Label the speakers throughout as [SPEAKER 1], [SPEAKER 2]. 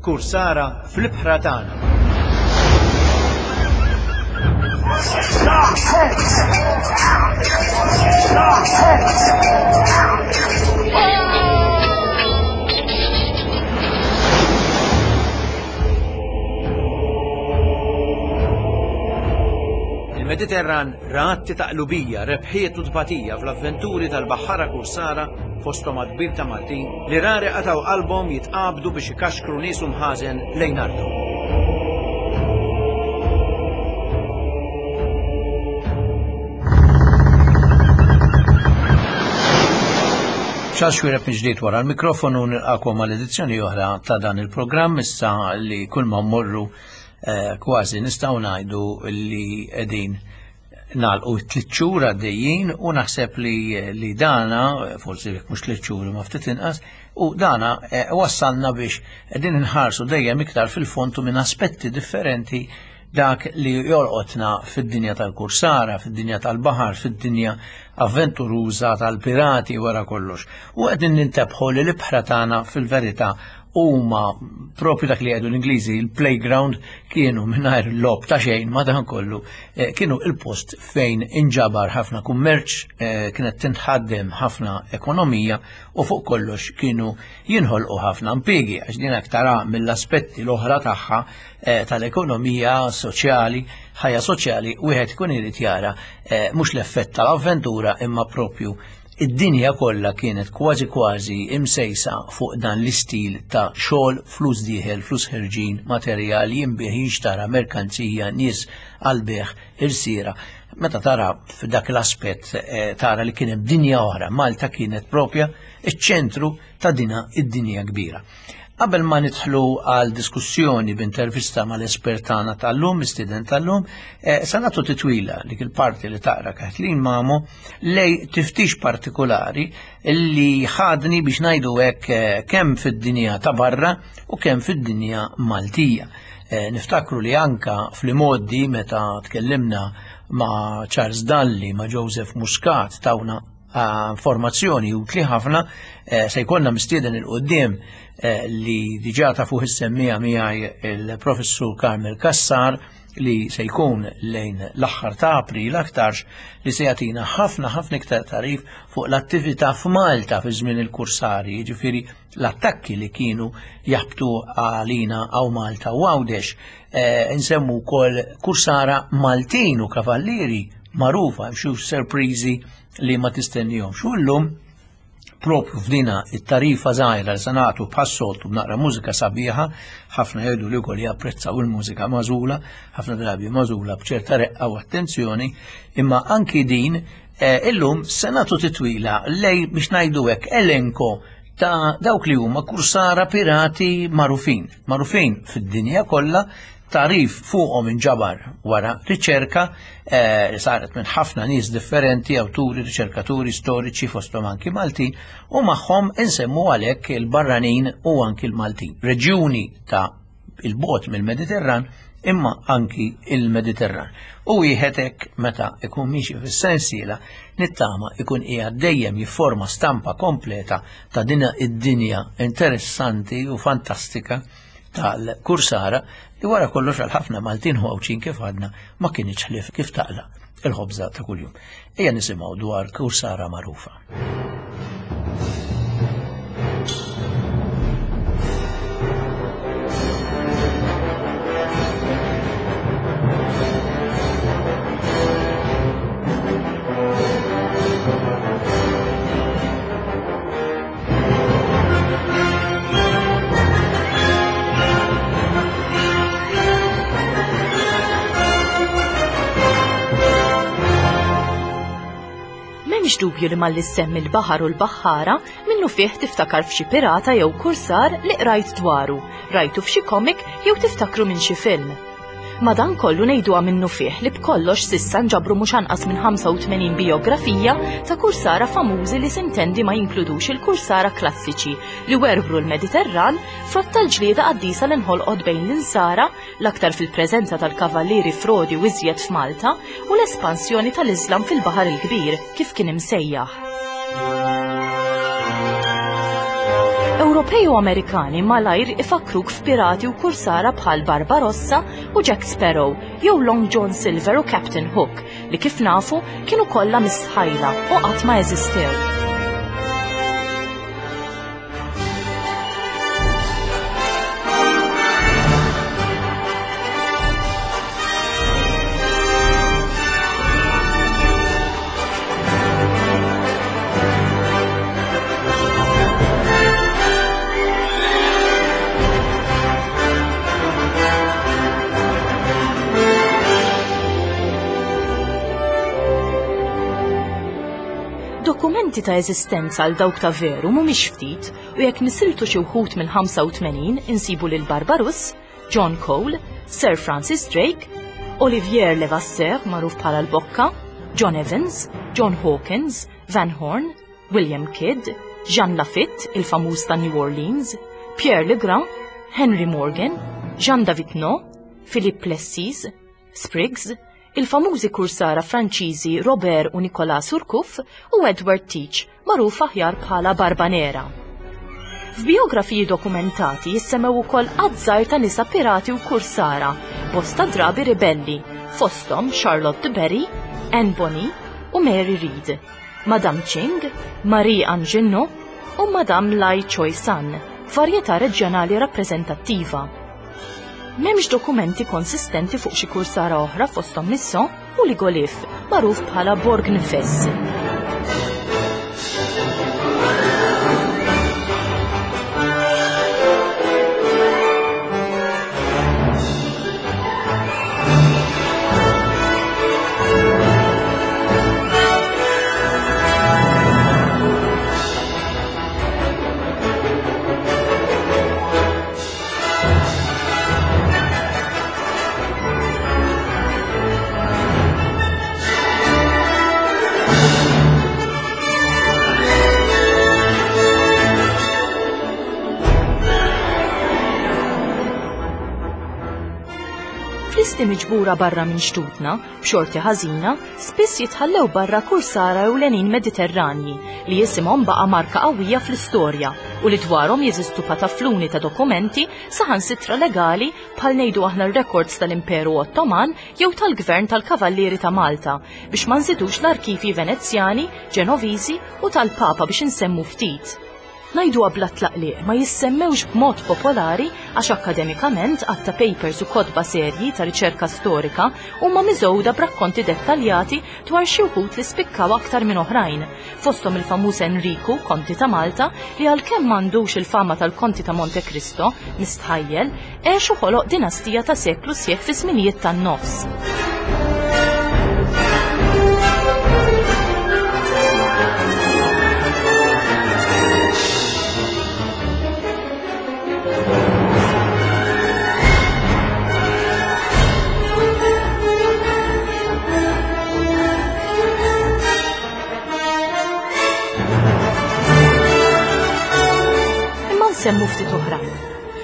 [SPEAKER 1] Kursara fl-ibħra tagħna. Il-Mediterran ra atti ta' qlubija, rebħiet u tbatija fl-avventuri tal-baħħara kursara fosthom għadd kbir ta' Maltin li rari qatgħu qalbhom jitqabdu biex ikaxkru nies u mħażen lejn arthom. Charles Xuereb mill-ġdid wara l-mikrofonu nilqakom għal edizzjoni oħra ta' dan il-programm issa li kull ma mmorru eh, kważi nistgħu ngħidu li qegħdin nagħlqu tliet xhur għaddejjin u naħseb li, li dana, forsi jekk mhux tliet xhur ma ftit inqas, u dana eh, wassalna biex qegħdin inħarsu dejjem iktar fil-fond u minn aspetti differenti dak li jolqotna fid-dinja tal-kursara, fid-dinja tal-baħar, fid-dinja avventuruża tal-pirati wara kollox. U qegħdin nintebħu li l-ibħra tagħna fil-verità huma propju dak li jgħidu l-Ingliżi il-playground kienu mingħajr lob ta' xejn madankollu eh, kienu il-post fejn inġabar ħafna kummerċ, eh, kienet tinħaddem ħafna ekonomija u fuq kollox kienu jinħolqu ħafna impjiegi għax din tara mill-aspetti l-oħra tagħha eh, tal-ekonomija soċjali, ħajja soċjali wieħed ikun irid jara eh, mhux l-effett tal-avventura imma propju id-dinja kollha kienet kważi kważi imsejsa fuq dan l-istil ta' xogħol, flus dieħel, flus ħerġin, materjal jinbih jinxtara, merkanzija, nies għal-beħ, irsiera. Meta tara f'dak l-aspett eh, tara li kien hemm dinja oħra, Malta kienet propja iċ-ċentru ta' dina id-dinja kbira. Qabel ma nidħlu għal diskussjoni b'intervista mal-espert tagħna tal-lum, mistieden tal-lum, eh, sa nagħtu titwila dik il-parti li taqra Kathleen Mamo lej tiftix partikolari li ħadni biex ngħidu hekk eh, kemm fid-dinja ta' barra u kemm fid-dinja Maltija. Eh, niftakru li anka fl-imoddi meta tkellimna ma' Charles Dalli, ma' Joseph Muscat tawna informazzjoni utli ħafna eh, se jkollna mistieden il-qoddim eh, li diġà ta' fuq is-semmija miegħi il-Professur Carmel Kassar li se jkun lejn l-aħħar ta' April aktarx li se jagħtina ħafna ħafna iktar tarif fuq l-attività f'Malta fi żmien il-kursari, jiġifieri l-attakki li kienu jaħbtu għalina għaw Malta u Għawdex. Eh, nsemmu wkoll kursara Maltin u kavallieri magħrufa xi sorpriżi li ma tistennihomx. U llum propju f'dina it-tarifa żgħira li se nagħtu bħas-soltu b'naqra mużika sabiħa, ħafna jgħidu li wkoll japprezzaw il-mużika magħżula, ħafna drabi magħżula b'ċerta reqqa u attenzjoni, imma anki din eh, illum se nagħtu titwila lej biex ngħidu hekk elenko ta' dawk li huma kursara pirati magħrufin, magħrufin fid-dinja kollha Tagħrif fuqhom inġabar wara riċerka eh, li saret minn ħafna nies differenti, awturi, riċerkaturi, storiċi fosthom anki Maltin, u magħhom insemmu għalhekk il-barranin u anki l-Maltin. Reġjuni ta' il-bot mill-Mediterran imma anki il-Mediterran. U wieħed hekk meta ikun miexi fis-sensiela nittama ikun qiegħed dejjem jifforma stampa kompleta ta' din id-dinja interessanti u fantastika tal-kursara li wara kollox għal ħafna Maltin u Għawdxin kif għadna ma kinitx ħlief kif taqla il-ħobża ta' kuljum. Ejja nisimgħu dwar kursara magħrufa.
[SPEAKER 2] M'hemmx dubju li malli ssemmi l-baħar u l-baħħara minnu fih tiftakar f'xi pirata jew kursar li qrajt dwaru, rajtu f'xi komik jew tiftakru minn xi film. Madankollu ngħiduha minnufih li b'kollox s'issa nġabru mhux anqas minn 85 bijografija ta' kursara famużi li sintendi ma jinkludux il-kursara klassiċi li werwru l-Mediterran frott tal-ġlieda qaddisa li nħolqot bejn l-Insara, l-aktar fil-preżenza tal-Kavallieri Frodi u iżjed f'Malta, u l-espansjoni tal-Iżlam fil-Baħar il-Kbir, kif kien imsejjaħ. Ewropej u Amerikani malajr ifakkruk f'pirati u kursara bħal Barbarossa u Jack Sparrow jew Long John Silver u Captain Hook li kif nafu kienu kollha mistħajla u qatt ma eżistew. Dokumenti ta' eżistenza għal dawk ta' veru mhumiex ftit u jekk nisiltu xi wħud mill-85 insibu lil Barbarus, John Cole, Sir Francis Drake, Olivier Levasseur magħruf bħala l-Bokka, John Evans, John Hawkins, Van Horn, William Kidd, Jean Lafitte, il-famuż ta' New Orleans, Pierre Legrand, Henry Morgan, Jean David No, Philippe Plessis, Spriggs, il-famużi kursara Franċiżi Robert u Nicolas Surcouf u Edward Teach, magħruf aħjar bħala Barbanera. F'biografiji dokumentati jissemmew ukoll għadd żgħir ta' nisa pirati u kursara, bosta drabi ribelli, fosthom Charlotte de Berry, Anne Bonny u Mary Read, Madame Ching, Marie Angenot u Madame Lai Choi San, varjetà reġjonali rappreżentattiva. M'hemmx dokumenti konsistenti fuq xi kursara oħra fosthom Misson u Ligolif, magħruf bħala Borgnfess. F'listi miġbura barra minn xtutna, b'xorti ħażina, spiss jitħallew barra kursara ewlenin Mediterranji li isimhom baqa' marka qawwija fl-istorja u li dwarhom jeżistu patafluni ta' dokumenti saħansitra legali bħal ngħidu aħna r-rekords tal-Imperu Ottoman jew tal-Gvern tal-Kavallieri ta' Malta biex ma nżidux l-arkivji Venezjani, Ġenoviżi u tal-Papa biex insemmu ftit. Ngħiduha bla tlaqliq, ma jissemmewx b'mod popolari għax akkademikament għadd ta' papers u kotba serji ta' riċerka storika huma miżgħuda b'rakkonti dettaljati dwar xi wħud li spikkaw aktar minn oħrajn, fosthom il-famuż Enriku, Konti ta' Malta, li għalkemm m'għandux il-fama tal-Konti ta' Monte Cristo, mistħajjel, għex u ħoloq dinastija ta' seklu sħiħ fi żminijiet tan-nofs. Imma nsemmu ftit oħrajn.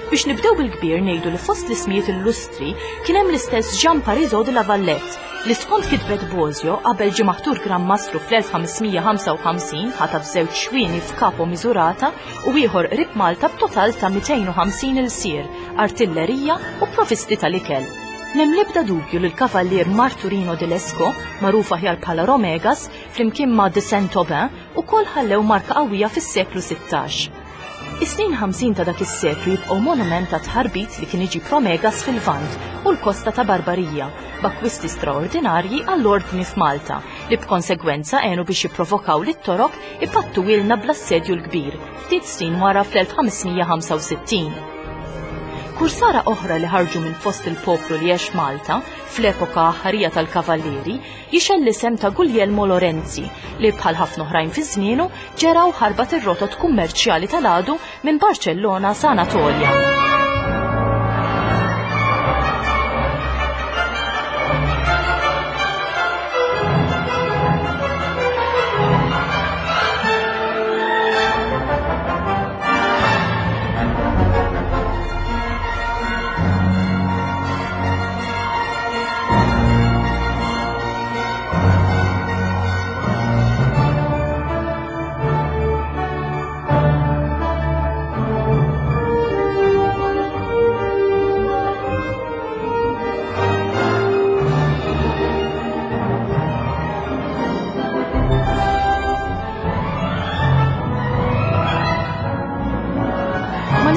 [SPEAKER 2] Biex nibdew bil-kbir ngħidu li fost l-ismijiet illustri kien hemm l-istess Jean Parisot de la Valette li skont kitbet Bosio qabel ġie maħtur Gran Mastru fl-1555 ħataf żewġ xwieni f'Capo Misurata u ieħor qrib Malta b'total ta' 250 ilsir, artillerija u provisti tal-ikel. M'hemm l-ebda dubju li l-Kavallier Marturino de Lesco, magħruf aħjar bħala Romegas, flimkien ma' de Saint-Aubin, ukoll ħallew marka qawwija fis-seklu 16. Is-snin 50 ta' dak is-seklu jibqgħu monument ta' tħarbit li kien iġib Romegas fil-Lvant u l-kosta ta' Barbarija, b'akkwisti straordinarji għall-Ordni f'Malta, li b'konsegwenza għenu biex jipprovokaw lit-Torok ipattuwielna bl-Assedju l-Kbir, ftit snin wara fl-1565. Kursara oħra li ħarġu minn fost il-poplu li għex Malta, fl-epoka aħħarija tal-Kavallieri, jixgħel l-isem ta' Guglielmo Lorenzi li bħal ħafna oħrajn fi żmienu ġera u ħarbat ir-rotot kummerċjali tal-għadu minn Barċellona sa Anatolja.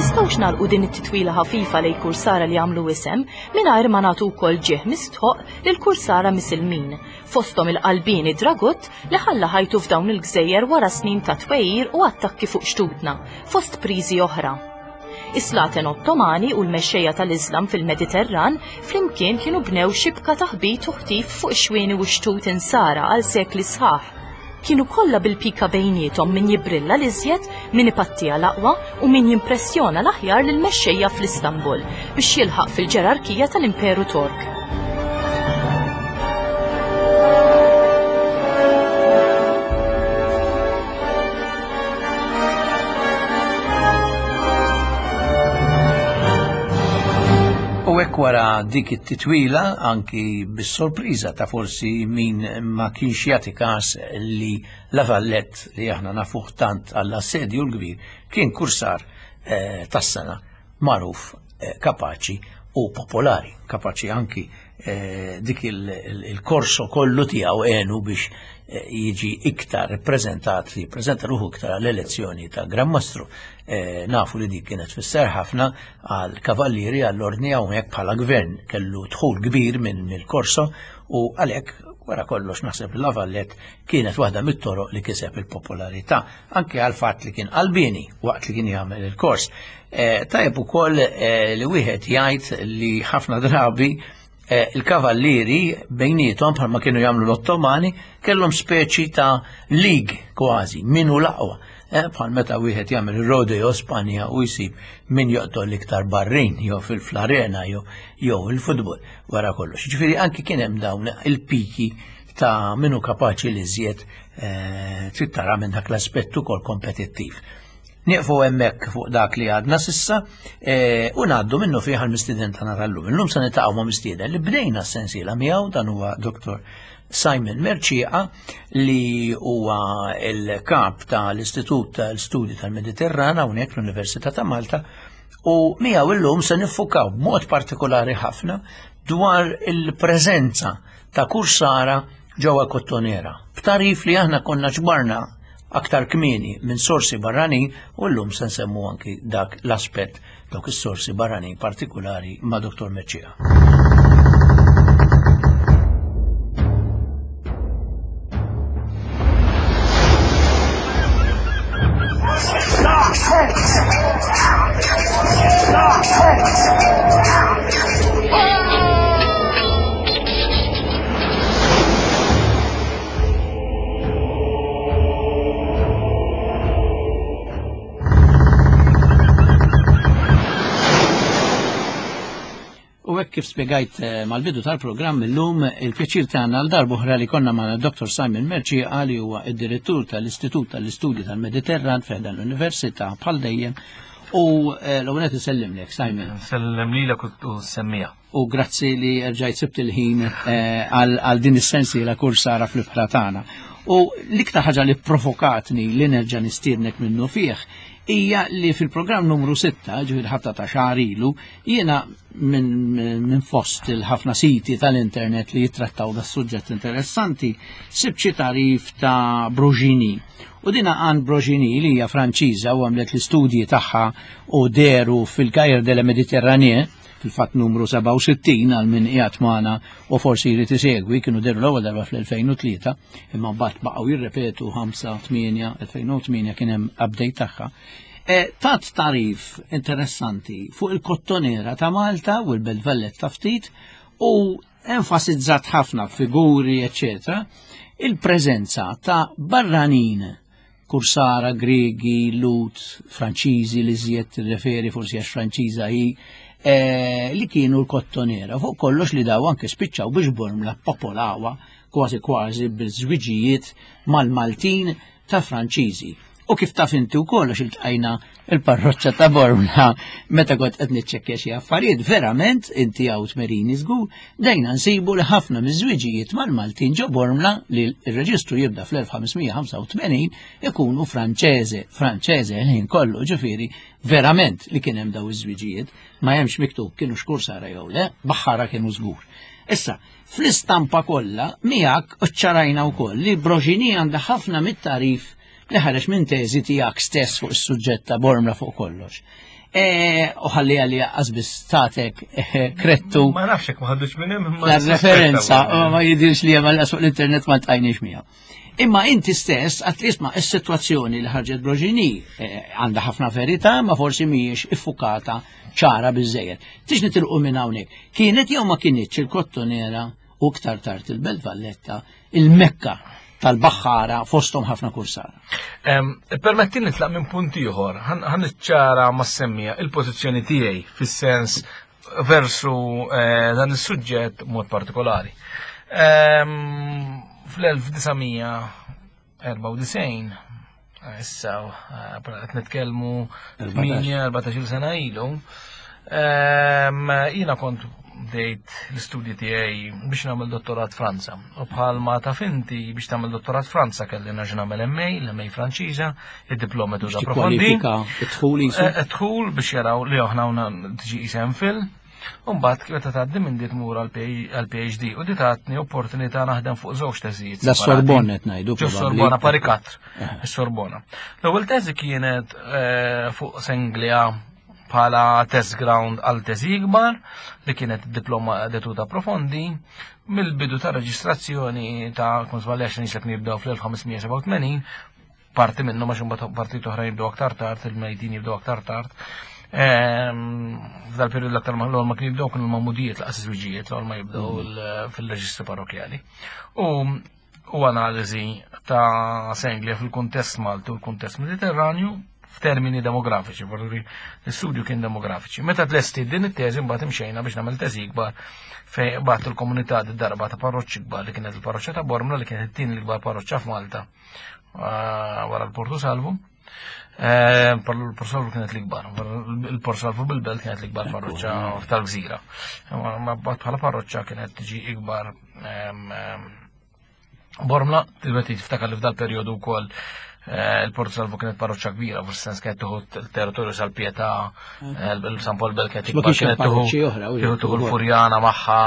[SPEAKER 2] nistgħux nagħlqu din it-titwila ħafifa lejn kursara li għamlu isem mingħajr ma nagħtu wkoll ġieħ mistħoqq lil kursara misilmin, fosthom il-qalbieni Dragut li ħalla ħajtu f'dawn il-gżejjer wara snin ta' twegħir u attakki fuq xtutna, fost priżi oħra. Is-slaten Ottomani u l-mexxejja tal-Iżlam fil-Mediterran flimkien kienu bnew xibka ta' ħbit u ħtif fuq ix-xwieni u x-xtut insara għal sekli sħaħ. Kienu kollha bil-pika bejniethom min jibbrilla l-iżjed, min ipattiha l-aqwa u min jimpressjona l-aħjar lill-mexxejja fl-Istanbul biex jilħaq fil-ġerarkija tal-Imperu Tork.
[SPEAKER 1] U hekk wara dik it-titwila anki bis-sorpriża ta' forsi min ma kienx jagħti każ li La Vallette li aħna nafuh tant għall-assedju l-kbir kien kursar eh, tas-sena magħruf eh, kapaċi u popolari, kapaċi anki eh, dik il-korso kollu tiegħu għenu biex eh, jiġi iktar prezentat li prezenta ruħu iktar għall-elezzjoni ta' Gran Mastru. Eh, nafu li dik kienet fisser ħafna għal kavallieri għall-ordni hawnhekk bħala gvern kellu dħul kbir minn mill-korso u għalhekk wara kollox naħseb li Lavallet kienet waħda mit-toroq li kiseb il-popolarità anke għal fatt li kien qalbini waqt li kien jagħmel il-kors. Eh, tajjeb ukoll eh, li wieħed jgħid li ħafna drabi eh, il-kavallieri bejniethom bħalma kienu jagħmlu l-Ottomani kellhom speċi ta' league kważi min hu l-aqwa. Bħal meta wieħed jagħmel rodeo Spanja u jsib min joqtol l-iktar barrin jew fil-flarena jew jew il-futbol wara kollox. Ġifieri anki kien hemm dawn il-piki ta' minu kapaċi li żjed trid tara minn dak l-aspett ukoll kompetittiv. Nieqfu hemmhekk fuq dak li għadna sissa e, u ngħaddu minnu fih għall-mistieden tagħna tal-lum. Illum se nitaqgħu ma' mistieden li bdejna s-sensiela miegħu dan huwa Dr. Simon Merċieqa li huwa l-kap tal-Istitut tal-Studi tal-Mediterran hawnhekk l-Università ta' Malta u miegħu illum se niffukaw b'mod partikolari ħafna dwar il-preżenza ta' kursara ġewwa Kottonera. B'tarif li aħna konna ġbarna aktar kmieni minn sorsi barranin u llum se nsemmu anki dak l-aspett dawk is-sorsi barranin partikulari ma' Dr. Meċċija. U hekk kif spjegajt eh, mal-bidu tal-programm illum il-pjaċir tagħna għal darb'oħra li konna ma' Dr. Simon Merci li huwa id-direttur tal-Istitut tal-Istudji tal-Mediterran fejn l-Università bħal dejjem u eh, l-ewwel qed isellimlek Simon.
[SPEAKER 3] Sellem lilek u semmija.
[SPEAKER 1] u grazzi li rġajt sibt il-ħin eh, għal din is-sensiela kursara fl-ibħra tagħna. U l-iktar ħaġa li provokatni li nerġa' nistiednek minnu fih hija li fil-programm numru 6, ġifieri ħabta ta' xahar ilu, jiena minn fost il-ħafna siti tal-internet li jittrattaw da suġġett interessanti, sibt xi tarif ta' Brogini. U dina għan Brogini li hija Franċiża u għamlet l-istudji tagħha u deru fil-Cahiers de la Méditerranée, fil-fatt numru 67 għal min qiegħed magħna u forsi jrid isegwi kienu deru l-ewwel darba fl-2003 imma mbagħad baqgħu jirrepetu 5, 8, 2008 kien hemm update tagħha. E, tat tarif interessanti fuq il-kottonera ta' Malta u l-Belt Valletta ftit u enfasizzat ħafna figuri, eccetera, il-preżenza ta' barranin Kursara, Griegi, Lut, Franċiżi li żjed tirreferi forsi għax Franċiża hi, eh, li kienu l-kottonera. Fuq kollox li daw anke spiċċaw biex Bormla popolawa kważi kważi bil-żwiġijiet mal-Maltin ta' Franċiżi. U kif taf inti wkoll għax iltqajna il-parroċċa ta' Bormla meta kont qed niċċekkja xi affarijiet, verament inti hawn tmerini żgur, bdejna nsibu li ħafna miż-żwiġijiet mal-Maltin ġo Bormla li r-reġistru jibda fl-1585 ikunu Franċeże, Franċeże l-ħin kollu, ġifieri verament li kien hemm daw iż-żwiġijiet, ma hemmx miktub kienu xkursara jew le, baħħara kienu żgur. Issa, fl-istampa kollha miegħek ċċarajna wkoll li Broġini għandha ħafna mit-tarif li ħareġ minn teżi tiegħek stess fuq is-suġġett ta' Bormla fuq kollox. E, u ħalli għalli għazbis tatek eh, krettu.
[SPEAKER 3] Ma nafx jekk ma ħaddux minn hemm.
[SPEAKER 1] La referenza, ma jidirx li hemm fuq l-internet ma tqajniex miegħu. Imma inti stess, għat li isma' is-sitwazzjoni li ħarġet Broġini eh, għandha ħafna verità, ma forsi mhijiex iffukata ċara biżejjed. Tix nitilqu minn hawnhekk. Kienet jew ma kienitx il-Kottonera u iktar tard il-Belt Valletta, il-Mekka tal-baħħara fosthom ħafna kursara.
[SPEAKER 3] Permetti nitlaq minn punt ieħor, ħan niċċara ma' semmija il-pożizzjoni tiegħi fis-sens versu eh, dan is-suġġett mod partikolari. Fl-1994 issa eh, qed nitkellmu 8-14 sena ilu, jiena kont bdejt l-istudji tiegħi biex nagħmel dottorat Franza. U bħalma taf inti biex tagħmel dottorat Franza kelli nerġa' nagħmel MA, l-MA Franċiża, id-diploma tu da profondi.
[SPEAKER 1] Id-dħul
[SPEAKER 3] Id-dħul eh, biex jaraw li aħna tiġi isem fil. Umbat, meta tgħaddi minn dit mur għal-PhD u di tatni opportunità naħdem fuq żewġ teżijiet.
[SPEAKER 1] La Sorbonne qed ngħidu.
[SPEAKER 3] Sorbona pari katr, is-Sorbona. L-ewwel teżi kienet eh, fuq Senglia bħala test ground għal teżi ikbar li kienet diploma detuta profondi mill-bidu ta' reġistrazzjoni ta' kun żbaljax nisek nibdew fl-1587 parti minnu ma xumbat partit oħra jibdew aktar tard, il-mejdin jibdew aktar tard. Ehm, f'dal periodu l-aktar ma l ma kien jibdew kienu l-mamudijiet, l-qas żwiġijiet, l ma jibdew mm. fil-reġistri parrokjali. U u analiżi ta' Senglia fil-kuntest Malti u l-kuntest Mediterranju f'termini demografiċi, vorri l-istudju kien demografiċi. Meta tlesti din it-teżi mbagħad imxejna biex nagħmel teżi ikbar fejn bagħat il-komunità darba ta' parroċċi kbar li kienet il-parroċċa ta' Bormla li kienet it-tieni l-ikbar parroċċa f'Malta ah, wara l-Portu Salvu. Eh, il-Portu Salvu kienet l-ikbar, il-Portu Salvu bil-belt kienet l-ikbar parroċċa tal-gżira. Ma bħala parroċċa kienet tiġi ikbar Bormla, tibet tiftakar li f'dal periodu wkoll eh, il-Port Salvo kienet parroċċa kbira, fis sens kienet tuħu territorju sal-Pietà, eh, il-San Paul Bel kienet
[SPEAKER 1] ikbar, kienet tuħu
[SPEAKER 3] tuħu l-Furjana magħha.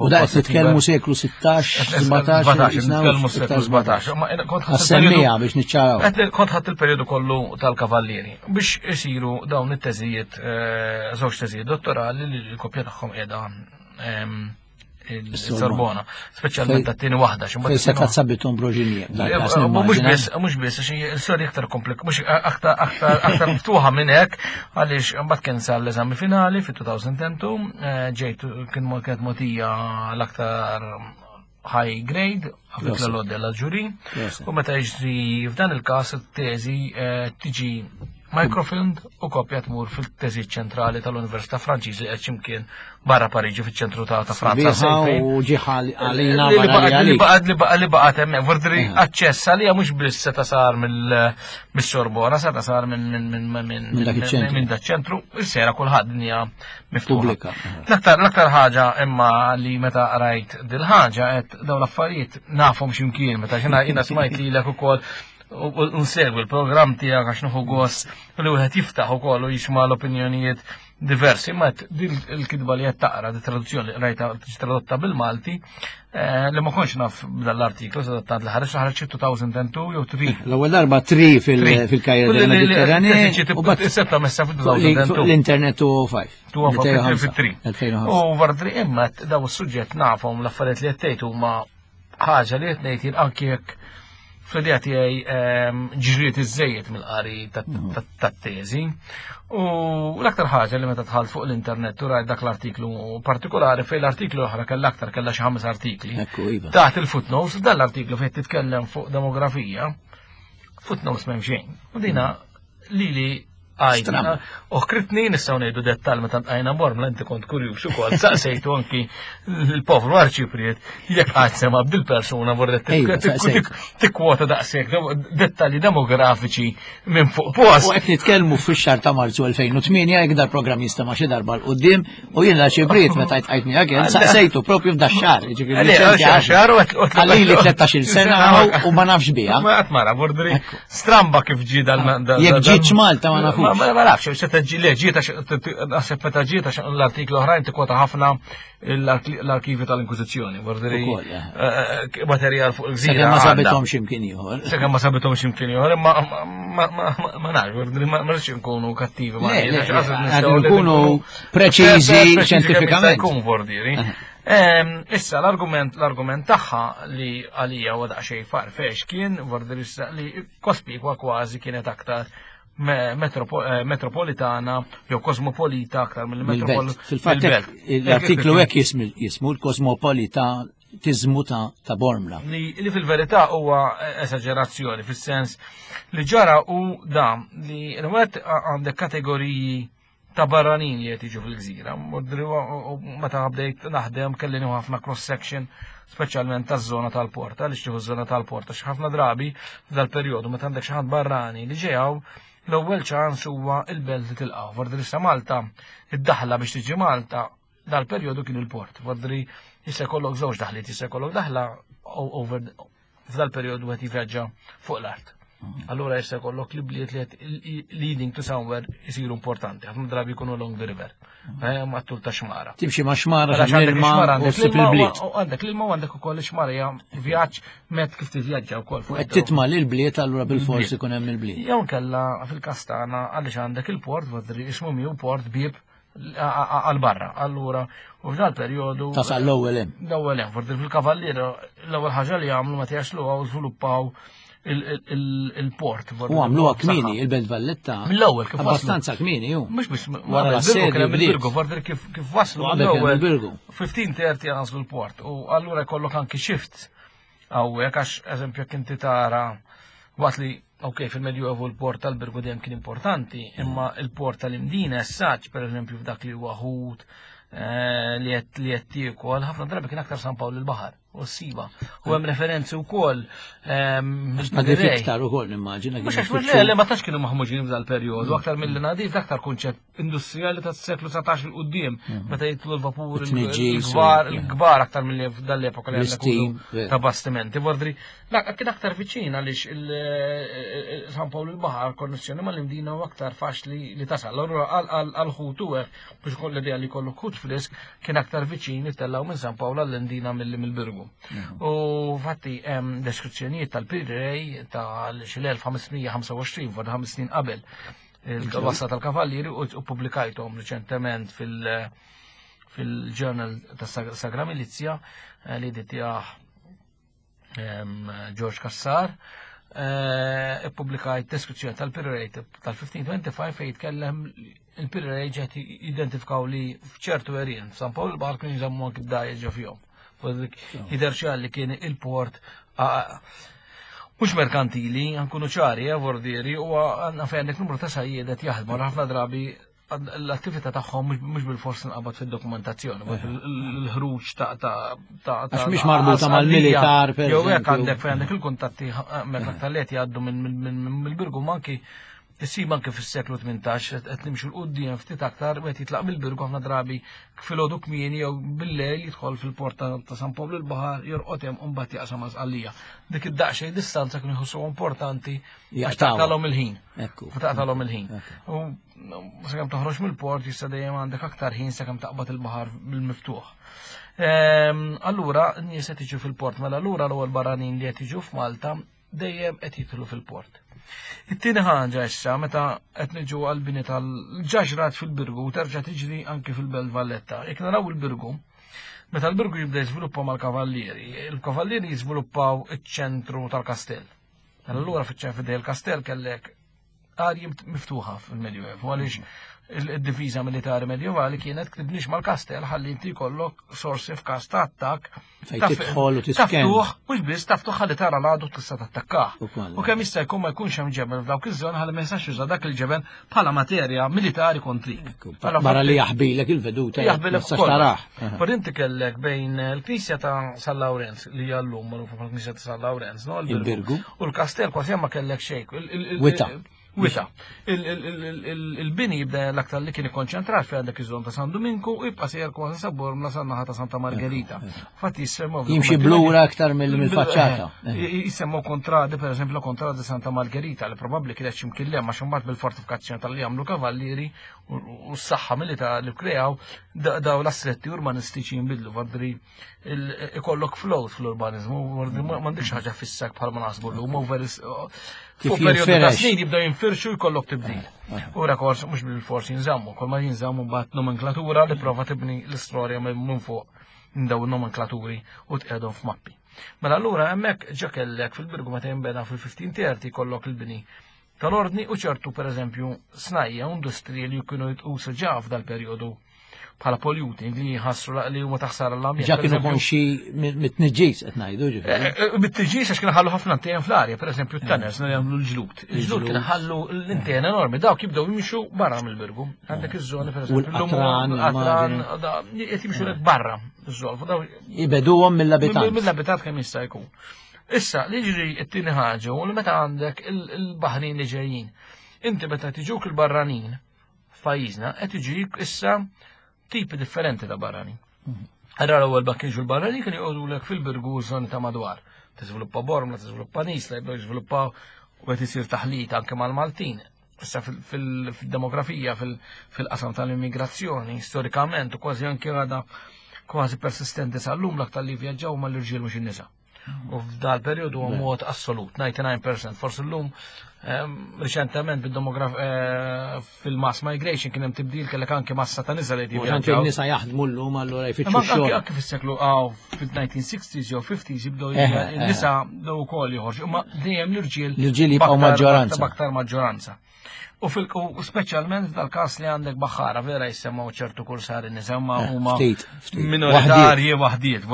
[SPEAKER 1] U da qed nitkellmu seklu 16, 17,
[SPEAKER 3] nitkellmu seklu 17.
[SPEAKER 1] Semmija biex niċċaraw.
[SPEAKER 3] Kont ħadd il-periodu kollu tal-Kavallieri biex isiru dawn it-teżijiet, eh, żewġ teżijiet dottorali li l-kopja tagħhom qiegħda ehm, il-Sorbona, speċjalment ta' tieni waħda.
[SPEAKER 1] Fejn se tazzabitum broġinija.
[SPEAKER 3] Mhux biss, mhux biss, għax il-storja iktar komplik, mhux aktar aktar miftuħa minn hekk, għaliex mbagħad kien sar l-eżami finali fit-2002, eh, ġejt kien kienet mogħtija l-aktar high grade, għafet l-lodda l-ġuri, u meta jiġri f'dan il-kas it-teżi eh, tiġi microfilmed u kopja tmur fil-teżi ċentrali tal-Università Franċiżi qed x'imkien barra Pariġi fiċ-ċentru ta' Franza.
[SPEAKER 1] U ġiħal għalina
[SPEAKER 3] li baqgħet li baqgħet li baqgħet hemmhekk vordri eh. aċċess għalija mhux biss seta' sar mill-Sorbona, seta' sar minn dak ċentru, is-sera kulħadd dinja miftuħa. L-aktar ħaġa imma li meta rajt dil-ħaġa qed dawn l-affarijiet nafhom x'imkien meta xina jiena smajt lilek ukoll u nsegwi l-programm tiegħek għax nieħu gost li wieħed jiftaħ ukoll u jisma' l-opinjonijiet diversi, ma din il-kitba li qed taqra, di traduzzjoni li rajta tradotta bil-Malti, eh, li ma kontx naf dal-artiklu, sa tant li ħareġ ħareġ 2002 jew 3.
[SPEAKER 1] L-ewwel darba 3 fil-Kajra del Mediterranee.
[SPEAKER 3] U bat setta messa fil-2002.
[SPEAKER 1] L-internet 205.
[SPEAKER 3] 2005. U vardri imma daw is-suġġett nafhom l-affarijiet li qed tgħid huma ħaġa li qed ngħid jien anki jekk fl-idea tiegħi ehm, ġriet iżejjed mill-qari mhm. tat-teżi. U l-aktar ħaġa li meta tħalt fuq l-internet u rajt dak l-artiklu partikolari fejn l-artiklu oħra kellha aktar kellha xi ħames artikli.
[SPEAKER 1] Iva.
[SPEAKER 3] Taħt il-footnotes, dan l-artiklu fejn titkellem fuq demografija, footnotes m'hemm xejn. U dina lili Għajna, uħkritni nistaw nejdu dettal meta għajna bormla inti kont kurjuż ukoll, saqsejtu anki l-povru arċipriet jekk qatt sema bil-persuna vorret tikkwota daqshekk dettalji demografiċi minn fuq post.
[SPEAKER 1] U qed nitkellmu fix-xahar ta' Marzu 2008 jekk dal-programm jista' ma' xi darba l qudiem u jien l-arċipriet meta jtqajt miegħek saqsejtu propju f'da xahar,
[SPEAKER 3] jiġifieri
[SPEAKER 1] Għalili 13-il sena u ma nafx biha.
[SPEAKER 3] Ma qatt mara, bordri. Stramba kif ġi dal
[SPEAKER 1] Jekk ġietx Malta ma nafux.
[SPEAKER 3] Ma nafx, se teġi le ġiet naħseb meta ġiet għax l-artiklu oħrajn tikwota ħafna l-arkivi tal-Inkwiżizzjoni, vordiri eh. Eh, eh, materjal fuq il-gżira.
[SPEAKER 1] Sakemm ma sabithom x'imkien ieħor.
[SPEAKER 3] Sakemm ma sabithom x'imkien ieħor, imma ma nafx, vordiri ma rridx inkunu kattivi
[SPEAKER 1] ma nkunu preċiżi xjentifikament.
[SPEAKER 3] Jkun vordiri. Issa l-argument l-argument tagħha li għalija huwa daqsxejn farfex kien vordiri li Kospikwa kważi kienet aktar eh, metropolitana jew kosmopolita aktar mill-metropol.
[SPEAKER 1] Fil-fatt l-artiklu hekk jismu l-kosmopolita tizmu ta' Bormla.
[SPEAKER 3] Li, li fil-verità huwa esaġerazzjoni fis-sens li ġara u da li l-wet għandek kategoriji ta' barranin li qed jiġu fil-gżira. Meta bdejt naħdem kelli nieħu ħafna cross section speċjalment taż-żona tal-port, għaliex tieħu żona tal-port, għax ħafna drabi f'dal-perjodu meta għandek xi ħadd barrani li ġejaw l-ewwel ċans huwa il-belt li tilqgħu. Fordri sa Malta, id-daħla biex tiġi Malta dal-perjodu kien il-port. Fordri jista' jkollok żewġ daħliet, jista' jkollok daħla over f'dal-perjodu qed jivvjaġġa fuq l-art. Allura jista' jkollok li bliet li qed leading to somewhere isiru importanti, ħafna drabi jkunu along the river, eh, ma' tul ta' xmara.
[SPEAKER 1] Timxi ma' xmara għax ilma u ssib il-bliet.
[SPEAKER 3] Għandek l-ilma u għandek ukoll xmara hija vjaġġ met kif tivvjaġġa wkoll.
[SPEAKER 1] Qed titma' lil bliet allura bil-fors ikun hemm il-bliet.
[SPEAKER 3] Jew kella fil-kastana għaliex għandek il-port, vodri ismu miu port bib għal barra. Allura, u f'dal perjodu.
[SPEAKER 1] Tasal l-ewwel hemm.
[SPEAKER 3] L-ewwel hemm, forsi fil-kavalliera l-ewwel ħaġa li għamlu meta jaslu għaw żviluppaw il-port.
[SPEAKER 1] U għamluha kmieni il-Belt Valletta.
[SPEAKER 3] Mill-ewwel kif
[SPEAKER 1] Abbastanza kmieni ju.
[SPEAKER 3] Mhux biss
[SPEAKER 1] wara l-assedju
[SPEAKER 3] il-Birgu, forsi kif waslu
[SPEAKER 1] l-ewwel. Il-Birgu.
[SPEAKER 3] 1530 għażlu l-port u allura jkollok anki shift hawnhekk għax eżempju jekk inti tara waqt li ok, fil-Medjuevu l-port tal-Birgu dejjem kien importanti, imma il-port tal-Imdina essaċ, per eżempju, f'dak li huwa ħut eh, li qed li qed tiekol, ħafna drabi kien aktar San Pawl il-Baħar u s-siba. U hemm referenzi wkoll
[SPEAKER 1] ehm, Nadif iktar ukoll nimmaġina.
[SPEAKER 3] Mhux għax le, le ma tantx kienu maħmuġin f'dal perjodu, aktar mill-li nadif aktar kunċett industrijali tas-seklu 19 il qudiem meta jitlu l-vapur il-kbar il-kbar aktar milli f'dal-epoka li għandek ta' bastimenti. Vordri, kien aktar viċin għaliex il-San Pawl il-Baħar konnessjoni mal-Imdina u aktar faċli li tasal. Allura għal-ħut u hekk biex koll l-idea li kollu ħut frisk kien aktar viċin ittellaw minn San Pawl għall-Imdina milli mill-Birgu. U fatti hemm deskrizzjonijiet tal-Pirrej tal-1525 vordri ħames snin qabel il-wasla tal-Kavallieri u pubblikajthom riċentement fil- fil-ġurnal ta' Sagra Milizja eh, li ditjaħ ehm, George Kassar. Eh, ippubblikajt deskrizzjoni tal-Pirate tal-1525 fejn jitkellem il-Pirate ġed identifikaw li f'ċertu erien San Pawl il-Baħar kienu jżammu anki d-dajja ġo fihom. Jidher ċar li kien il-port mhux merkantili, nkunu ċari, eh, vordieri, u għandna fejn għandek numru ta' sajjiedet jaħdmu ħafna drabi l-attività tagħhom mhux bil-fors nqabad fid-dokumentazzjoni, l-ħruġ ta' ta'
[SPEAKER 1] ta' Għax mhix marbuta mal-militar
[SPEAKER 3] per Jew hekk għandek fejn għandek il-kuntatti eh, meta aktar li qed jgħaddu mill-Birgu manki Issib anke fis-seklu 18 qed nimxu 'l quddiem ftit aktar wieħed jitlaq mill-Birgu ħafna drabi filgħodu kmieni jew bil-lejl jidħol fil-port ta' San Pawl il-Baħar jorqod hemm u mbagħad jaqsam għal Sqallija. Dik id-daqsxejn distanza kienu jħossuha importanti għax taqtalhom il-ħin. Taqtalhom il-ħin. U sakemm toħroġ mill-port jista' dejjem għandek aktar ħin sakemm taqbad il-baħar bil-miftuħ. Ehm, allura n-nies qed jiġu fil-port mela allura l-ewwel barranin li qed jiġu f'Malta dejjem qed jidħlu fil-port. It-tieni ħaġa issa meta qed niġu għall-bini tal-ġaġrat fil-Birgu u terġa' tiġri anki fil-Belt Valletta. Jekk naraw il-Birgu, meta l-Birgu jibda jiżviluppa mal-Kavallieri, il-Kavallieri jiżviluppaw iċ-ċentru tal-kastell. Allura fiċ-ċentru il-kastell kellek arji miftuħa fil-Medjuevu għaliex il-difiża militari medjevali kienet tibnix mal-kastell ħalli inti jkollok sorsi f'każ ta' attakk.
[SPEAKER 1] Tidħol u tisken.
[SPEAKER 3] Taftuħ, mhux biss taftuħ ħalli tara l-għadu tista' tattakkah. U kemm jista' jkun ma jkunx hemm ġebel f'dawk iż-żoni ħalli ma jistax juża dak il-ġebel bħala materja militari kontrik.
[SPEAKER 1] Barra li jaħbilek il-veduta.
[SPEAKER 3] Jaħbilek taraħ. Per inti kellek bejn il-Knisja ta' San Lawrenz li hija llum magħrufa bħala Knisja ta' San Lawrenz, no?
[SPEAKER 1] Il-Birgu.
[SPEAKER 3] U l-kastell kważi ma kellek xejn.
[SPEAKER 1] Wita.
[SPEAKER 3] Wita. Il-bini jibda l-aktar li kien ikkonċentrat fi għandek iż-żona ta' San Duminku u jibqa' sejjer kważi sa Bormla sa naħa ta' Santa Margherita. Fatti jissemmew.
[SPEAKER 1] Jimxi blura aktar mill-faċċata.
[SPEAKER 3] Jissemmew kontradi, per eżempju, kontradi Santa Margherita li probabbli kienet x'imkien hemm għax imbagħad bil-fortifikazzjoni tal-li għamlu kavallieri u s-saħħa militari li kreaw daw l-assetti urbanistiċi jinbidlu fadri ikollok flow fl-urbanizmu, m'għandekx ħaġa fissak bħal ma naħsbu llum, over
[SPEAKER 1] Kif perjodu ta'
[SPEAKER 3] snin jibdew jinfirxu jkollok tibdil. U rekors mhux bil-fors jinżammu, kol ma jinżammu mbagħad nomenklatura li prova tibni l-istorja minn fuq daw nomenklaturi u tqiegħdhom f'mappi. Mela allura hemmhekk ġa kellek fil-Birgu meta jinbena fil-1530 kollok il-bini tal-ordni u ċertu pereżempju snajja u industriji li kienu jitqusu ġa f'dal-perjodu bħala polluting li jħassru li huma taħsara l-ambjent.
[SPEAKER 1] Ġa kienu konxi mit-tniġġis qed ngħidu ġifieri.
[SPEAKER 3] Eh, eh, mit-tniġġis għax kienu ħallu ħafna antena fl-arja, pereżempju t-tanners li jagħmlu l-ġlud. Il-ġlud kienu ħallu l-antena enormi, dawk jibdew jimxu barra mill-birgu. Għandek iż-żoni
[SPEAKER 1] pereżempju. L-qatran,
[SPEAKER 3] l-qatran, qed jimxu barra iż-żolfu.
[SPEAKER 1] Ibeduhom mill-abitat.
[SPEAKER 3] Mill-abitat kemm jista' jkun. Issa, li ġri t-tieni ħaġa u li meta għandek il-baħrin li ġejjin. Inti meta tiġuk il-barranin f'pajjiżna qed iġik issa tipi differenti ta' barranin. Għarra l-ewwel ma kienx il-barranin kien joqogħdulek fil-birgu żoni ta' madwar. Tiżviluppa Bormla, tiżviluppa Nisla, jibdew jiżviluppaw u qed isir taħlit anke mal-Maltin. Issa fil-demografija, fil-qasam tal-immigrazzjoni, storikament u kważi anke għada kważi persistenti sal-lum l-aktar li vjaġġaw mal-irġiel mhux in-nisa. U f'dal periodu huwa mod assolut, 99%. Forsi llum ehm, riċentement bid-demograf eh, fil-mass migration kien hemm tibdil kellek anke massa ta' nisa li
[SPEAKER 1] jivvjaġġaw. Anke nisa jaħdmu llum allura jfittxu xogħol.
[SPEAKER 3] Anke fis-seklu għaw fil-1960s jew 50s jibdew eh, eh. nisa bdew ukoll joħorġu, imma dejjem l-irġiel.
[SPEAKER 1] L-irġiel jibqgħu maġġoranza.
[SPEAKER 3] Baktar maġġoranza. U fil u speċjalment f'dal-każ li għandek baħħara vera jissemmaw ċertu kursari nisa ma eh, huma minoritarji waħdiet.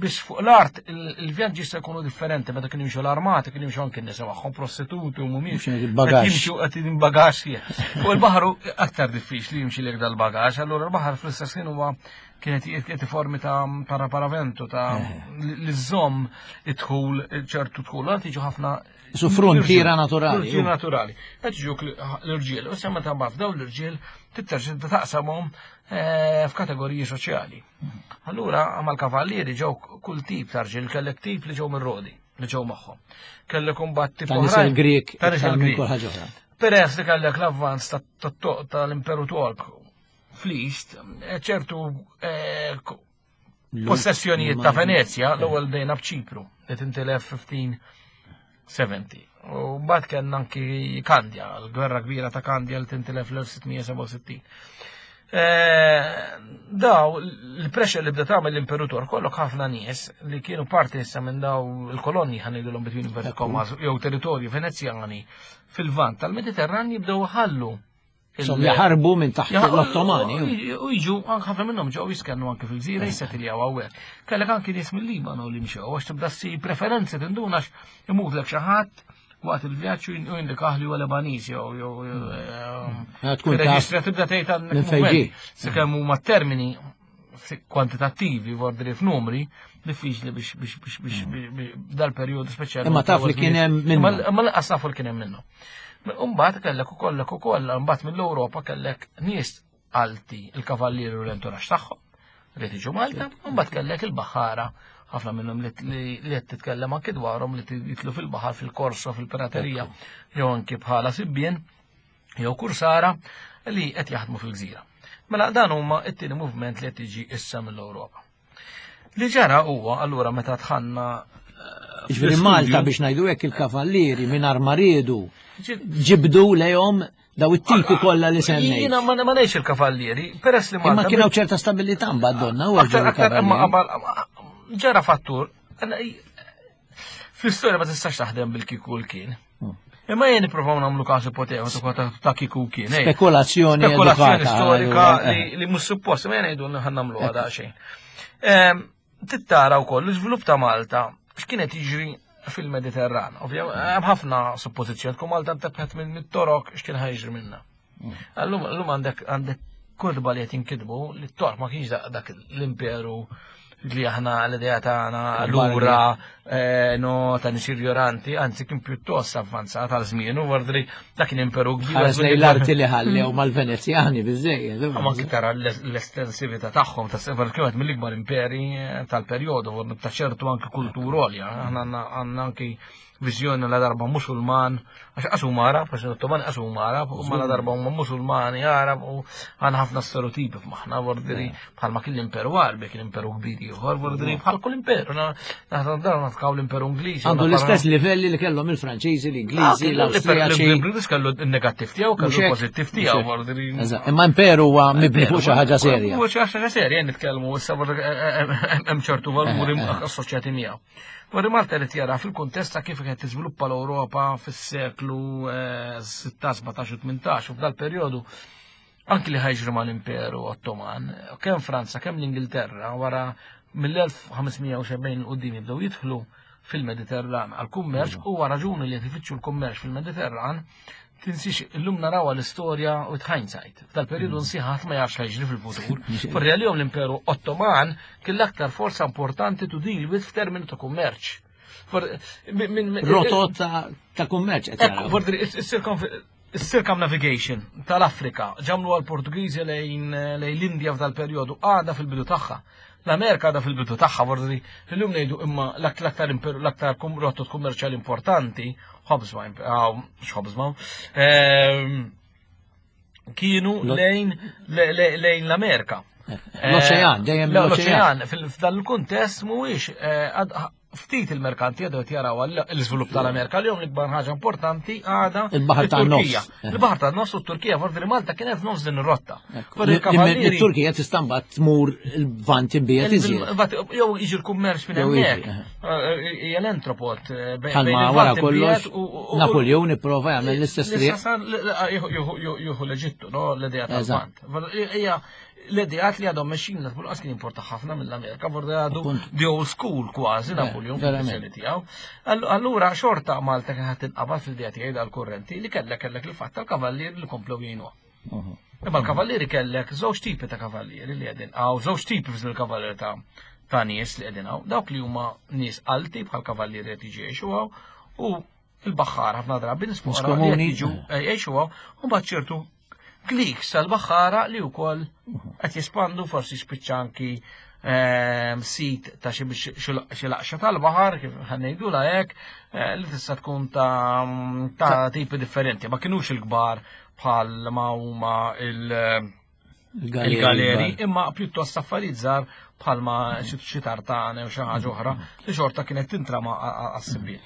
[SPEAKER 3] Biex fuq l-art il-vjaġġi se jkunu differenti meta kienu jimxu l-armati, kienu jimxu anke nisa magħhom prostituti u mhumiex. Jimxu qed bagaxx. Fuq il-baħar aktar diffiċli jimxi lek dal-bagaxx, allura l-baħar fl-istess ħin huwa kienet qed formi ta' paraparavento ta' eh. li żomm id-dħul ċertu dħul. Għad jiġu ħafna
[SPEAKER 1] Su frontiera naturali.
[SPEAKER 3] Frontiera naturali. Qed ġuk l-irġiel, u semma ta' baf daw l-irġiel titterġa taqsamhom eh, f'kategoriji soċjali. Allura mal-kavallieri ġew kull tip ta' rġiel, kellek tip li ġew mir-rodi li ġew magħhom. Kellek imbagħad tip
[SPEAKER 1] Ta' nisel Grek, ta' nisel Grek.
[SPEAKER 3] Peress li kellek l-avvanz tal-Imperu Tork fl-East, eh, ċertu eh, Possessjonijiet ta' Venezja l-ewwel bdejna b'Ċipru li tintilef 1570. U mbagħad kellna anki Kandja, l-gwerra kbira ta' Kandja li tintilef l-1667. Eh, daw, l-pressure li bda tagħmel l-Imperu Tork kollok ħafna nies li kienu parti issa minn daw il-kolonji ħanidulhom between inverted commas jew territorju Venezjani fil-vant tal-Mediterran jibdew ħallu
[SPEAKER 1] Som jaħarbu minn taħt l-Ottomani.
[SPEAKER 3] U jiġu, ħafna minnhom ġew jiskennu anke fil-gżira jissetiljaw hawnhekk. Kellek anke nies mill-Libanu li mxew għax tibda ssir preferenzi tinduna imutlek xi ħadd waqt il-vjaġġ u jindikah li huwa Lebaniż jew jew
[SPEAKER 1] eh, tkun
[SPEAKER 3] reġistra tibda tgħid għandek sakemm huma termini kwantitattivi vordri f'numri diffiċli biex biex biex biex mm. dal-perjodu speċjali.
[SPEAKER 1] Imma taf li kien hemm
[SPEAKER 3] minnu. Imma lanqas nafu li kien hemm minnu. Imbagħad kellek ukoll ukoll imbagħad mill-Ewropa kellek nies alti il-kavallieri u l-enturax tagħhom li tiġu Malta, imbagħad kellek il-baħara ħafna minnhom li qed titkellem anki dwarhom li jitlu fil-baħar fil-korso fil-piraterija jew anki bħala sibbien jew kursara li qed jaħdmu fil-gżira. Mela dan huma t-tieni movement li qed jiġi issa mill-Ewropa. Li ġara huwa allura meta tħanna
[SPEAKER 1] eh, Ġifieri Malta biex ngħidu hekk il-kavallieri mingħajr ma riedu ġibdu lejhom daw it-tipi kollha li semmejt.
[SPEAKER 3] Jiena ma ngħidx il-kavallieri, peress li
[SPEAKER 1] Malta. Imma kien hawn ċerta stabilità mbagħad donna u
[SPEAKER 3] Ġara fattur, fl-istorja ma tistax taħdem bil-kiku l-kien. Hmm. Imma jien nipprovaw nagħmlu każ ipotetiku ta' kiku kien.
[SPEAKER 1] Eh. Spekulazzjoni
[SPEAKER 3] Spekulazzjoni storika eh. li mhux suppost, ma jien ngħidu ħan nagħmlu għadha xejn. Ehm, tittara wkoll l-iżvilupp ta' Malta x'kienet jiġri fil-Mediterran. Ovvja, hemm ħafna suppożizzjoni tkun Malta ntebħet minn torok x'kien ħajġri minna. Allum għandek għandek kotba li qed jinkitbu li t-tork ma kienx dak l-imperu li aħna l-idea tagħna lura eh, no ta' nies irjoranti, anzi kien pjuttost avvanzat għal żmien u vordri dak kien imperu kbir.
[SPEAKER 1] Ħares lejn l-arti li ħallew mal-Venezjani biżejjed.
[SPEAKER 3] Ma anki tara l-estensività tagħhom ta' sefer kienet mill-ikbar imperi eh, tal-perjodu ta' ċertu anki kultura għolja. Aħna għandna anki viżjoni la darba Musulman, għax qas huma Arab, għax l-Ottomani qas huma Arab, huma la darba huma Musulmani Arab u għandna ħafna stereotipi f'maħna, vordiri bħalma kien l-Imperu Arbi, kien imperu kbir ieħor, vordiri bħal kull imperu, naħna dar nafkaw l-Imperu Ingliż.
[SPEAKER 1] Għandu l-istess livelli li kellhom il-Franċiżi, l-Ingliżi,
[SPEAKER 3] ah,
[SPEAKER 1] l-Awstrijaċi.
[SPEAKER 3] L-Ingliż kellu n-negattiv tiegħu, kellu l-pożittiv tiegħu, vordiri.
[SPEAKER 1] Imma imperu huwa mibni fuq xi ħaġa serja.
[SPEAKER 3] Fuq xi ħaġa serja nitkellmu issa eh, eh, eh, hemm ċertu valuri assoċjati miegħu. Wara Malta irid jara fil-kuntest ta' kif qed tiżviluppa l-Ewropa fis-seklu 16, 17 u 18 u f'dal-perjodu anki li ħajġri mal-Imperu Ottoman, kemm Franza, kemm l-Ingilterra wara mill-1570 qudiem jibdew jidħlu fil-Mediterran għal-kummerċ u raġuni li qed ifittxu l-kummerċ fil-Mediterran Tinsiex, illum narawha l-istorja with hindsight. F'dal-periodu mm. nsi ħadd ma jafx ħajġri fil-futur. Forri għalihom l-Imperu Ottoman kien l-aktar forza importanti to deal with f'termini ta' kummerċ.
[SPEAKER 1] Rotot ta' kummerċ.
[SPEAKER 3] Forri il-circumnavigation tal-Afrika ġamlu għal-Portugiżi lejn l-Indja f'dal-periodu għada fil-bidu tagħha. L-Amerika għadha fil-bidu tagħha forsi illum ngħidu imma l-aktar l-aktar rotot kummerċjali importanti Hobsbawm, mhux Hobsbawm, ehm, kienu lejn lejn l-Amerika.
[SPEAKER 1] L-oċean, dejjem
[SPEAKER 3] l-oċean. F'dan il-kuntest mhuwiex eh, ftit il-merkanti għadu jaraw l-iżvilupp tal-Amerika li l-ikbar ħaġa importanti għada
[SPEAKER 1] il-baħar tan-nofs.
[SPEAKER 3] Il-baħar tan-nofs u t-Turkija forsi li Malta kienet nofs din ir-rotta.
[SPEAKER 1] Il-Turkija tista' mbagħad tmur il-vant imbiegħed iżjed.
[SPEAKER 3] Jew jiġi l-kummerċ minn hemmhekk. Eh, hija l-entropot. Eh,
[SPEAKER 1] Bħalma wara kollox Napoleon ipprova jagħmel l-istess
[SPEAKER 3] triq. Jieħu l-Eġittu, no, l-idea tal-vant. Hija l-ideat li għadhom mexxin l qas kien importa ħafna mill-Amerika, vorda għadu the old school kważi Napoleon fil-viżjoni tiegħu. Allura xorta Malta kien ħadd inqabad fil-idea tiegħi dal-kurrenti li kellek kellek il-fatt tal-kavallier li komplew jgħinuha. Imma l-kavallieri kellek żewġ tipi ta' kavallieri li qegħdin hawn, żewġ tipi fil kavallieri ta' ta' nies li qegħdin hawn, dawk li huma nies alti bħal kavallieri qed jiġu jgħixu hawn u il-baħħar ħafna drabi nies
[SPEAKER 1] komuni
[SPEAKER 3] jiġu eh, jgħixu hawn u mbagħad ċertu kliks tal-baħħara li wkoll qed jispandu forsi spiċċa anki ehm, sit ta' xi laqxa tal-baħar kif ħannejdu hekk eh, li tista' tkun ta' tipi differenti ma kinux il-kbar bħal ma huma il- il-galeri, imma pjuttost affarijiet żgħar bħalma xi tartane u xi ħaġa oħra li xorta kienet tintrama għas-sibien.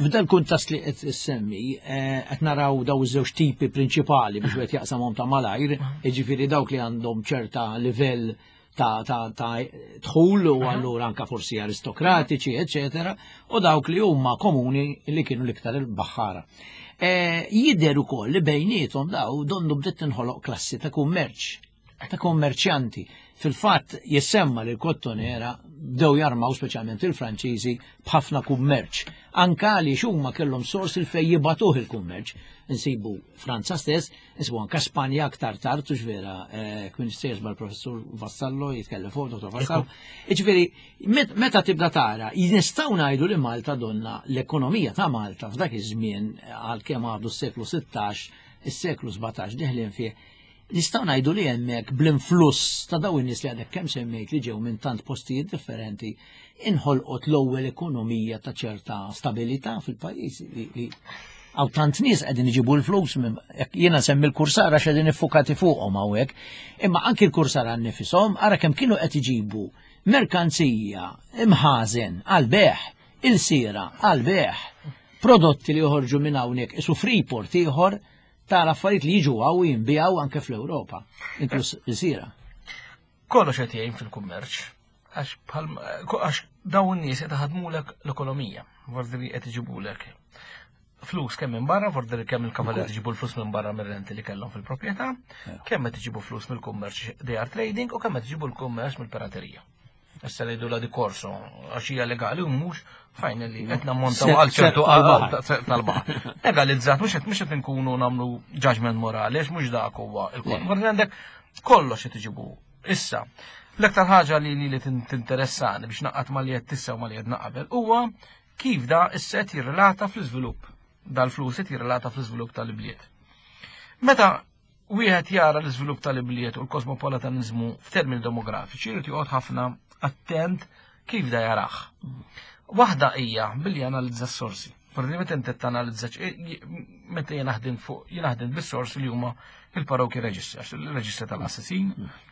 [SPEAKER 1] F'dan kuntest li qed issemmi, eh, qed naraw daw iż-żewġ tipi prinċipali biex wieħed jaqsamhom ta' malajr, jiġifieri dawk li għandhom ċerta livell ta' ta' ta' dħul u allura anka forsi aristokratiċi, eċetera, u dawk li huma komuni li kienu l-iktar il-baħħara. E, jidher ukoll li bejniethom daw donnu bdiet tinħoloq klassi ta' kummerċ, ta' kummerċjanti. Fil-fatt jissemma li l-kottonera bdew jarmaw speċjalment il-Franċiżi b'ħafna kummerċ. Anka għaliex huma kellhom sors il fej jibatuh il-kummerċ. Insibu Franza stess, Isbu anka Spanja aktar tard, u vera, eh, kien sejers mal-professur Vassallo jitkellem fuq, dottor Vassallo. Iġifieri, meta tibda tara, nistgħu ngħidu li Malta donna l-ekonomija ta' Malta f'dak iż-żmien għalkemm għadu s-seklu 16, is-seklu 17 deħlin fih, nistgħu ngħidu li hemmhekk bl-influss ta' dawn in-nies li għadek kemm semmejt li ġew minn tant postijiet differenti, inħolqot l-ewwel ekonomija ta' ċerta stabilità fil-pajjiż li għaw tant nies qegħdin iġibu l-flus jiena semmi l-kursara x'qegħdin iffukati fuqhom hawnhekk, imma anki l-kursara nnifisom ara kemm kienu qed iġibu merkanzija imħażen għal beħ, il-sira għal beħ, prodotti li joħorġu minn hawnhekk isu Freeport ieħor tal-affarijiet li jiġu hawn jinbijaw anke fl-Ewropa, inkluż il-sira.
[SPEAKER 3] Kollox qed jgħin fil-kummerċ. Għax għax dawn in-nies qed iħadmulek l-ekonomija, vordi qed iġibulek flus kemm minn barra, vordi kemm il-kavalier iġibu l-flus minn barra mir-renti li kellhom fil-proprjetà, kemm qed iġibu flus mill-kummerċ they are trading u kemm qed iġibu l-kummerċ mill-piraterija. Issa ngħidu la di korso għax hija legali u mhux finally qed nammontaw għal ċertu tal-baħar. Legalizzat mhux qed mhux qed inkunu nagħmlu judgment morali għax mhux dak huwa il-kont. Għandek kollox qed iġibu. Issa, l-aktar ħaġa li li tinteressani biex naqqat ma li qed tissa u ma li qed naqabel huwa kif da issa qed jirrelata fl-iżvilupp dal-flus qed jirrelata fl-iżvilupp tal-ibliet. Meta wieħed jara l-iżvilupp tal-ibliet u l-kosmopolitanizmu f'termini demografiċi jrid joqgħod ħafna attent kif da jarah. Waħda hija billi analizza s-sorsi. Forsi meta inti tanalizza meta jien naħdem fuq jien naħdem bis-sorsi li huma il-paroki registers, il-reġistri tal-assassin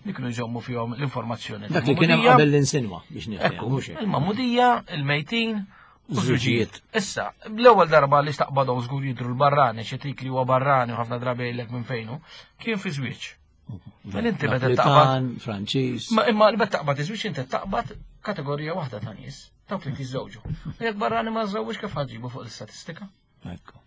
[SPEAKER 3] li kienu jżommu fihom l-informazzjoni.
[SPEAKER 1] Dak li kien hemm qabel l-insinwa biex nifhem.
[SPEAKER 3] Il-mamudija, il-mejtin, u żwiġijiet. Issa, l-ewwel darba li staqbadhom żgur jidru l-barrani, xi tik li huwa barrani u ħafna drabi jgħidlek minn fejnu, kien fi żwieġ.
[SPEAKER 1] Mela inti meta taqbad Franċiż.
[SPEAKER 3] Ma imma meta taqbad iż-żwieġ inti taqbad kategorija waħda ta' nies, dawk li jiżżewġu. Jekk barrani ma żżewġ kif ħaġibu fuq l-istatistika?
[SPEAKER 1] Ekku.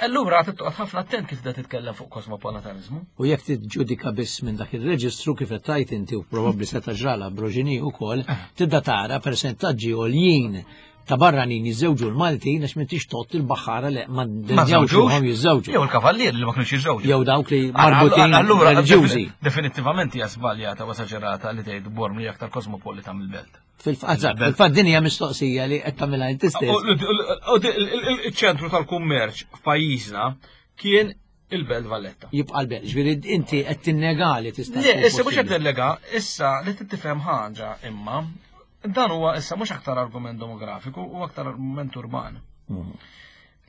[SPEAKER 3] Allura trid toqgħod ħafna attent kif da titkellem fuq kosmopolitanizmu.
[SPEAKER 1] U jekk tiġġudika biss minn dak ir-reġistru kif qed tgħid inti u probabbli se taġrala Broġini wkoll, eh. tibda tara persentaġġi għoljin ta' barranin jiżżewġu l-Maltin għax m'intix tott il-baħħara li ma
[SPEAKER 3] żewġuhom jiżżewġu. Jew il-kavallier li ma kienux jiżżewġu.
[SPEAKER 1] Jew dawk li marbutin
[SPEAKER 3] allura reliġjużi. Definittivament hija żbaljata u esaġerata li tgħid Bormli aktar kosmopolita mill-belt.
[SPEAKER 1] Fil-fatt din hija mistoqsija li qed tagħmilha inti stess.
[SPEAKER 3] Iċ-ċentru tal-kummerċ f'pajjiżna kien il-Belt Valletta.
[SPEAKER 1] Jibqa' l-Belt, ġifieri inti qed tinnega li tista'
[SPEAKER 3] Le, issa mhux qed nillega, issa li tifhem ħaġa imma dan huwa issa mhux aktar argument demografiku u aktar argument urban. Mhm.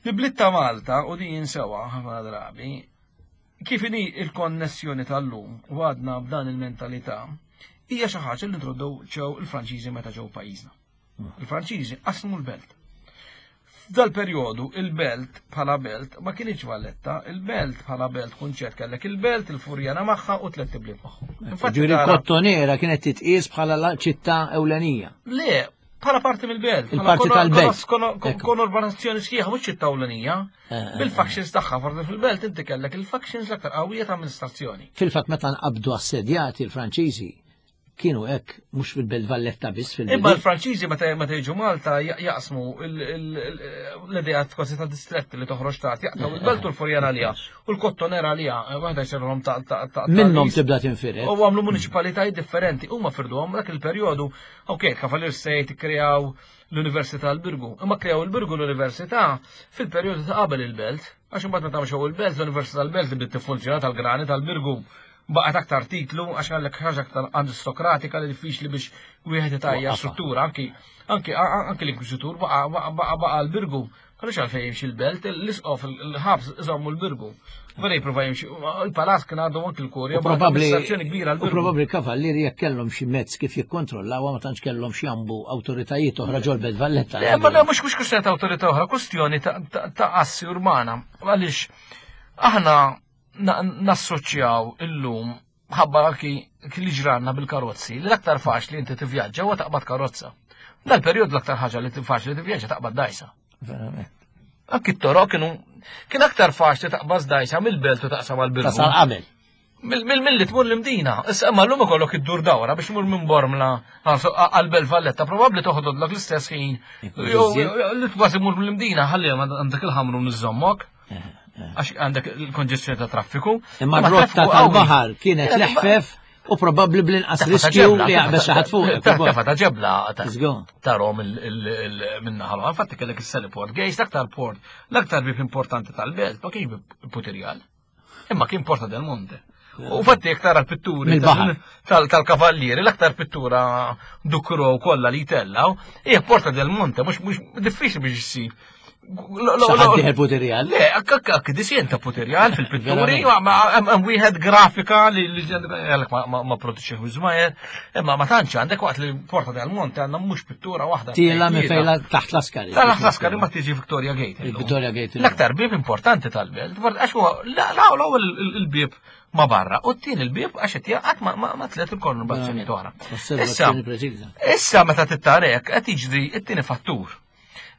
[SPEAKER 3] Li bliet ta' Malta u din jinsewa ħafna drabi Kif inhi l-konnessjoni tal-lum u għadna b'dan il-mentalità, hija xi ħaġa li introduċew il-Franċiżi meta ġew pajjiżna. Il-Franċiżi qasmu l-belt. F'dal-perjodu il-belt bħala belt ma kienx Valletta, il-belt bħala belt kunċett kellek il-belt, il-Furjana magħha u tlett ibliet magħhom.
[SPEAKER 1] Infatti il-Kottonera kienet titqies bħala ċittà ewlenija.
[SPEAKER 3] Le, bħala parti mill-belt.
[SPEAKER 1] Il-parti tal-belt.
[SPEAKER 3] Konurbanazzjoni sħiħa mhux ċittà ewlenija. Eh, eh, Bil-factions tagħha forsi fil-belt inti kellek il-factions l-aktar qawwija ta' amministrazzjoni.
[SPEAKER 1] Fil-fatt meta nqabdu assedjati l-Franċiżi kienu hekk mhux fil-Belt Valletta biss fil
[SPEAKER 3] Imma l-Franċiżi meta meta jiġu Malta jaqsmu l-idea kważi ta' distretti li toħroġ ta' jaqtaw il-belt u l-Furjana għalija u l-Kottonera għalija, waħda jsirhom ta'
[SPEAKER 1] ta' Minnhom tibda tinfired.
[SPEAKER 3] U għamlu municipalitajiet differenti, huma firduhom dak il-perjodu, ok, Kavalier State ikkreaw l-Università l-Birgu. Imma kreaw il-Birgu l-Università fil-perjodu ta' qabel il-belt, għax imbagħad meta mxew il-belt, l-Università l-Belt li bdiet tiffunzjona tal-grani tal-Birgu baqgħet aktar titlu għax għallek ħaġa aktar aristokratika li diffiċli biex wieħed itajja struttura anki anki anki l-inkwiżitur baqa' baqa' baqa' l-Birgu Għaliex għalfejn jimxi l-belt, l-isqof, il-ħabs iżommu l-birgu. Vera jipprova jimxi, il-palazz kien għadu anki l-kurja.
[SPEAKER 1] Probabbli kbira l Probabbli kavallieri jekk kellhom xi mezz kif jikkontrollaw ma tantx kellhom xi jambu awtoritajiet oħra ġol-Belt Valletta.
[SPEAKER 3] Le, ma mhux mhux kwistjoni ta' awtorità oħra, kwistjoni ta' assi urbana. Għaliex aħna nassoċjaw illum ħabba anki li ġranna bil-karozzi, li l-aktar faċli inti tivvjaġġa huwa taqbad karozza. Dal-perjodu l-aktar ħaġa li faċli tivvjaġġa taqbad dajsa.
[SPEAKER 1] Verament.
[SPEAKER 3] Anki t-toroq kienu kien aktar faċli taqbad dajsa mill-belt u taqsam għal-birgu.
[SPEAKER 1] Tasal qabel.
[SPEAKER 3] Mill-li tmur l-imdina. Issa imma llum ikollok iddur dawra biex tmur minn Bormla għal-Belt Valletta, probabbli toħodlok l-istess ħin. Li kważi mur mill-imdina ħalli għandek il-ħamru niżommok. Għax għandek il-konġestjoni ta' traffiku.
[SPEAKER 1] Imma r-rotta tal-baħar kienet l-eħfef u probabbli bl-inqas riskju li jaqbeż xi ħadd fuq.
[SPEAKER 3] Tefa ta' ġebla tarhom minnaħa. Infatti kellek is-Saliport Gates, l-aktar port, l-aktar bib importanti tal-belt, ma kienx bib Putirjal. Imma kien Porta del Monte. U fatti jek tara l-pitturi tal-kavallieri, l-aktar pittura dukro kollha li jtellaw, hija Porta del Monte, mhux mhux diffiċli biex issib.
[SPEAKER 1] Xaħat puterjal.
[SPEAKER 3] Le, akk disjen ta' puterjal fil-pitturi, hemm wieħed grafika li għalek ma produċi żmajer, imma ma tantx għandek waqt li Porta del Monte għandna mhux pittura waħda.
[SPEAKER 1] Tiela minn fejla taħt l-askari.
[SPEAKER 3] Taħt l-askari ma tiġi Victoria Gate.
[SPEAKER 1] Victoria Gate.
[SPEAKER 3] L-aktar bib importanti tal-belt, għax huwa l-ewwel il-bib ma' barra. U t-tieni l-bieb għax qed jaqgħad ma' tliet il-konurbazzjonijiet oħra. Issa, issa meta tittarek qed jiġri t-tieni fattur.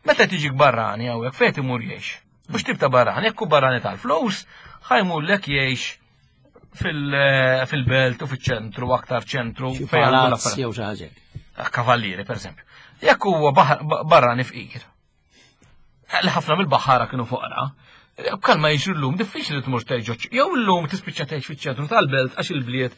[SPEAKER 3] Meta tiġi barrani hawnhekk fejn imur jgħix. Mhux tip ta' barrani, jekk hu barrani tal-flus, ħajmur lek jgħix fil-belt u fiċ-ċentru, aktar ċentru.
[SPEAKER 1] Fejn għandu jew xi ħaġa.
[SPEAKER 3] Kavallieri, per eżempju. Jekk huwa barrani fqir, li ħafna mill-baħħara kienu foqra, bħal ma jiġri llum diffiċli tmur tgħix jew llum tispiċċa tgħix fiċ-ċentru tal-belt għax il-bliet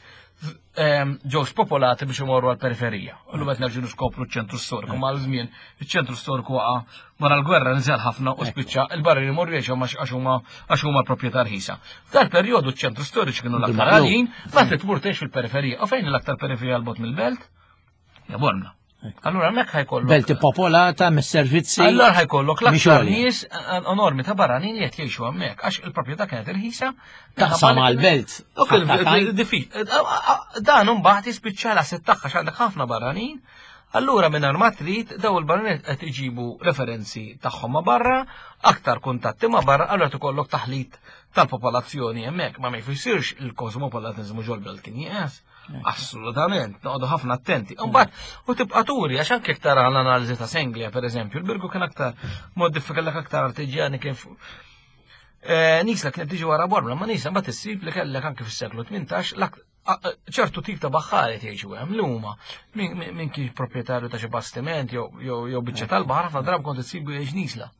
[SPEAKER 3] ġew spopolati biex imorru għall-periferija. U llum qed nerġgħu niskopru ċ-ċentru storiku mal żmien iċ-ċentru storiku waqa' wara l-gwerra niżel ħafna u spiċċa il-barri li morru jgħixu għax huma għax huma proprjetà rħisa. F'dal perjodu ċ-ċentru storiċi kienu l-aktar għaljin, ma trid tmur tgħix fil-periferija. U fejn l-aktar periferija l-bot mill-belt? Ja Bormla. Allura hemmhekk ħajkollok.
[SPEAKER 1] Belt popolata mis-servizzi.
[SPEAKER 3] Allura ħajkollok l-aktar nies enormi ta' barranin li qed jgħixu hemmhekk għax il-proprjetà kienet irħisa.
[SPEAKER 1] Taqsam għall-belt.
[SPEAKER 3] Dan imbagħad jispiċċa l-asset tagħha għandek ħafna barranin. Allura minn ma trid daw il-barranin qed iġibu referenzi tagħhom ma' barra, aktar kuntatti ma' barra, allura tikollok taħlit tal-popolazzjoni hemmhekk ma ma jfissirx il-kosmopolitanizmu ġol-belt kien jieqes. Assolutament, noqogħdu ħafna attenti. Imbagħad u tibqa' turi għax anke tara l-analiżi ta' Senglia pereżempju, il-Birgu kien aktar modifika kellek aktar artiġjani kien eh, Nisla kienet tiġi wara Bormla, ma Nisla mbagħad issib li kellek anke fis-seklu 18 ċertu tip ta' baħħari jgħixu hemm li huma min kien proprjetarju ta' xi bastiment jew biċċa tal-baħar ħafna drabi kont issibu jgħix Nisla.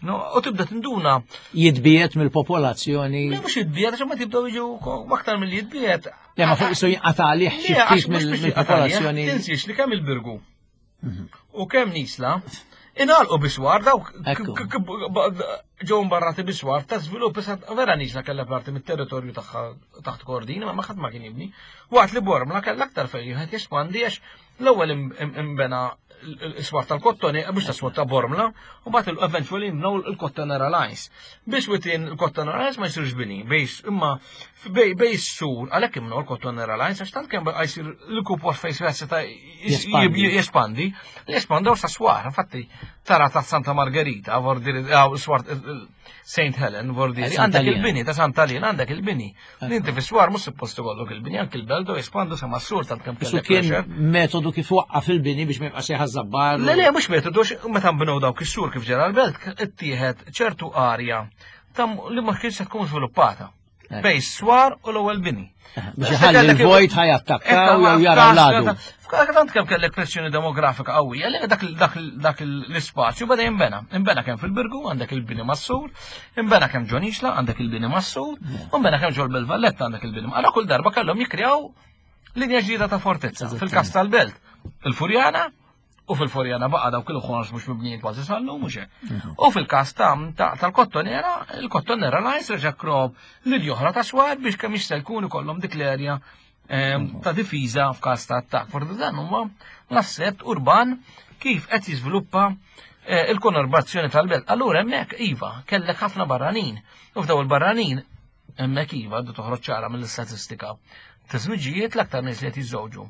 [SPEAKER 3] No, u tibda tinduna.
[SPEAKER 1] Jitbiet mill-popolazzjoni.
[SPEAKER 3] Le mhux jitbiet, għax ma tibdew jiġu aktar mill jitbiet.
[SPEAKER 1] Le ma fuq isu jinqata' għalih xi ftit mill-popolazzjoni.
[SPEAKER 3] Tinsiex li kemm il-Birgu mhm. u kemm Nisla inalqu biswar dawk ġew mbarrati biswar ta' żvilupp issa vera Nisla kellha parti mit-territorju tagħha taħt Kordina ma ħadd ma kien jibni. Waqt li Bormla kellha aktar fejn wieħed jespandi għax L-ewwel imbena l-iswar tal-kottoni, mhux ta' swar ta' Bormla, u mbagħad eventually nbnew il-Kottonera Lines. Biex within il-Kottonera Lines ma jsirx bini, bejs imma bej sur għalhekk imnew il-Kottonera Lines għax tant kemm baqa' jsir l-kupos fejn seta' jespandi, jespandaw sa swar, infatti tara ta' Santa Margherita, swar St. Helen, vordieri, għandek il-bini ta' Santa Lina, għandek il-bini. Inti fi swar mhux suppost ikollok il-bini, anki l-beldo jespandu sa mas-sur tant kemm
[SPEAKER 1] kellek. Kien metodu kif waqqaf il-bini biex ma jibqax jħażabbar.
[SPEAKER 3] Le le mhux metodu meta nbnew dawk is-sur kif ġara l-belt ittieħed ċertu arja tam li ma kienx se tkun żviluppata. Eh. Bej swar u l-ewwel bini.
[SPEAKER 1] Eh, biex iħalli l-vojt ħajattakkaw jew jaraw l-għadu.
[SPEAKER 3] F'tant kemm kellek pressjoni demografika qawwija li dak l-ispazju beda jinbena. Inbena kemm fil-Birgu għandek il-bini mas-sur, inbena kemm ġo Nisla għandek il-bini mas-sur, u nbena kemm ġol Belt-Valletta għandek il-bini. Allora kull darba kellhom jikkrew linja ġdida ta' fortezza. Fil-każ tal-Belt, il-Furjana, U fil-Furjana baqa' dawk il-ħors mhux mibnijin kważi sal-lum mhux hekk. Mhm. U fil-każ tal-Kottonera, il-Kottonera lajs reġa' krob lil oħra ta' swar biex kemm jista' jkun ikollhom dik l-erja ehm, mhm. ta' difiża f'każ ta' attakk. Forsi dan huma l-asset urban kif qed jiżviluppa eh, il-konurbazzjoni tal-belt. Allura hemmhekk iva, kellek ħafna barranin. U f'daw il-barranin hemmhekk iva għadu toħroġ ċara mill-istatistika. Ta' żwiġijiet l-aktar nies li qed jiżżewġu.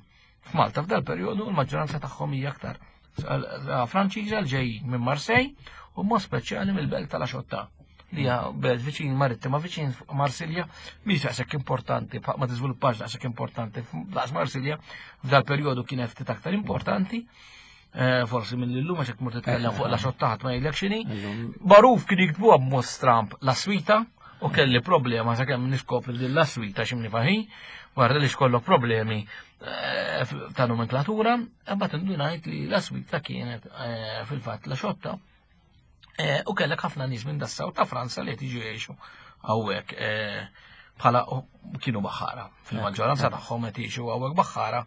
[SPEAKER 3] F'Malta f'dal perjodu l-maġġoranza tagħhom hija aktar Franċiża l ġej minn Marseille u mod speċjali mill-belt tal-Axotta li hija belt viċin marittima viċin Marsilja mhix daqshekk importanti ma tiżviluppax daqshekk importanti daqs Marsilja f'dal perjodu kienet ftit aktar importanti eh, forsi minn l-lum għax hekk mur titkellem fuq la xotta ħadd ma jgħidlek x'inhi. Baruf kien jiktbuha b'mod stramp la swita u kelli problema sakemm niskopri din la swita x'imni faħi, wara li xkollok problemi eh, ta' nomenklatura, imbagħad indunajt li la swita kienet eh, fil-fatt la xotta. Eh, u kellek ħafna nies minn dassaw ta' Franza li qed jiġu jgħixu hawnhekk bħala kienu baħħara. Fil-maġġoranza tagħhom qed jgħixu hawnhekk baħħara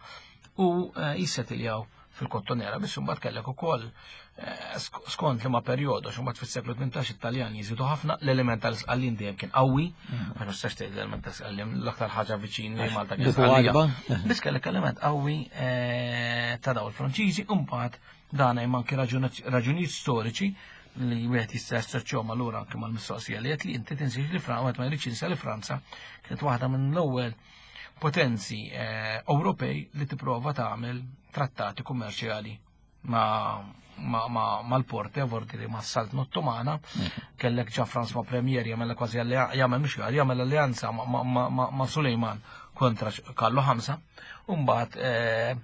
[SPEAKER 3] u jissetiljaw fil-Kottonera, biss imbagħad kellek ukoll eh, skont li ma perjodu, għax imbagħad fis-seklu 18 it-Taljan jiżidu ħafna l-element tal-Sqallin dejjem kien qawwi, mm. ma nistax tgħid l-element tal-Sqallin l-aktar ħaġa viċin li Malta kien Sqallija. Biss kellek element qawwi eh, ta' daw il-Franċiżi, imbagħad dan hemm anke raġunijiet storiċi li wieħed jista' jassoċjahom allura anke mal-mistoqsija li qed li inti tinsiex li Franza ma jridx jinsa li Franza kienet waħda minn l-ewwel potenzi eh, Ewropej li tipprova tagħmel trattati kummerċjali. mal-Porte, vorti ma' Saltna Ottomana, kellek ġa François Premier jagħmel kważi jagħmel mhux jagħmel alleanza ma' Sulejman kontra Kallu Ħamsa, u mbagħad eh,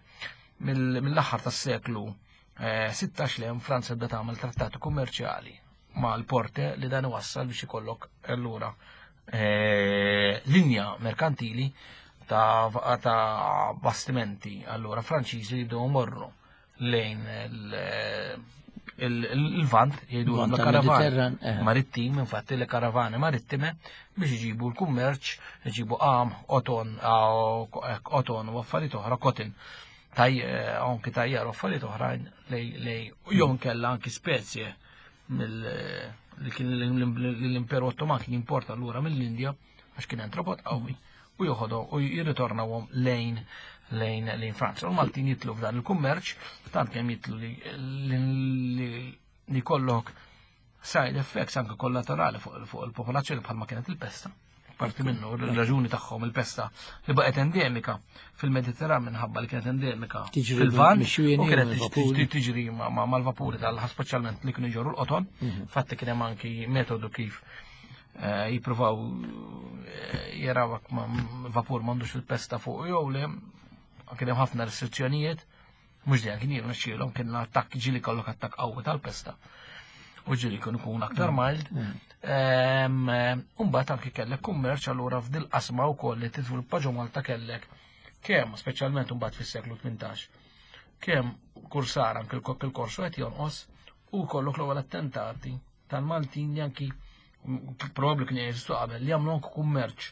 [SPEAKER 3] mill-aħħar tas-seklu 16 eh, l Franza bda tagħmel trattati kummerċjali mal-Porte li dan iwassal biex ikollok allura eh, linja merkantili ta' bastimenti allura Franċiżi li jibdew morru lejn il-Lvant, jgħidu l-karavan eh. marittim, infatti le karavani marittime biex iġibu l-kummerċ, iġibu qam, oton, eh, oton u affarijiet oħra, kotin, taj, eh, anki tajjar u affarijiet oħrajn lej jew kella anki spezje mill li kien l-Imperu Ottoman kien jimporta lura mill-Indja għax kien entrepot qawwi u joħodhom u jirritornawhom lejn lejn lejn Franza. U l-Maltin jitlu f'dan il-kummerċ, tant kemm jitlu li li kollok side effects anke kollaterali fuq il-popolazzjoni bħalma kienet il-pesta. Parti minnu r-raġuni tagħhom il-pesta li baqgħet endemika fil-Mediterran minħabba li kienet endemika fil-Lvant u kienet tiġri mal-vapuri tal speċjalment li kienu jġorru l-qoton. Mhm. Fatti kien hemm anki metodu kif eh, jippruvaw eh, jarawak vapur m'għandux il-pesta fuq jew le, kien hemm ħafna restrizzjonijiet, mhux dejjem kien jirnexxielhom kien attakk ġieli kollok attakk qawwi tal-pesta. U ġieli kien ikun aktar mm. mild. Mm. Eh, Umbagħad anki kellek kummerċ allura f'dil qasma wkoll li tiżviluppa ġo Malta kellek kemm speċjalment imbagħad fis-seklu 18 kemm kursar anke l-korsu qed jonqos u kollok l-ewwel attentati tal-Maltin li anki probabbli kien jeżistu qabel li jagħmlu anke kummerċ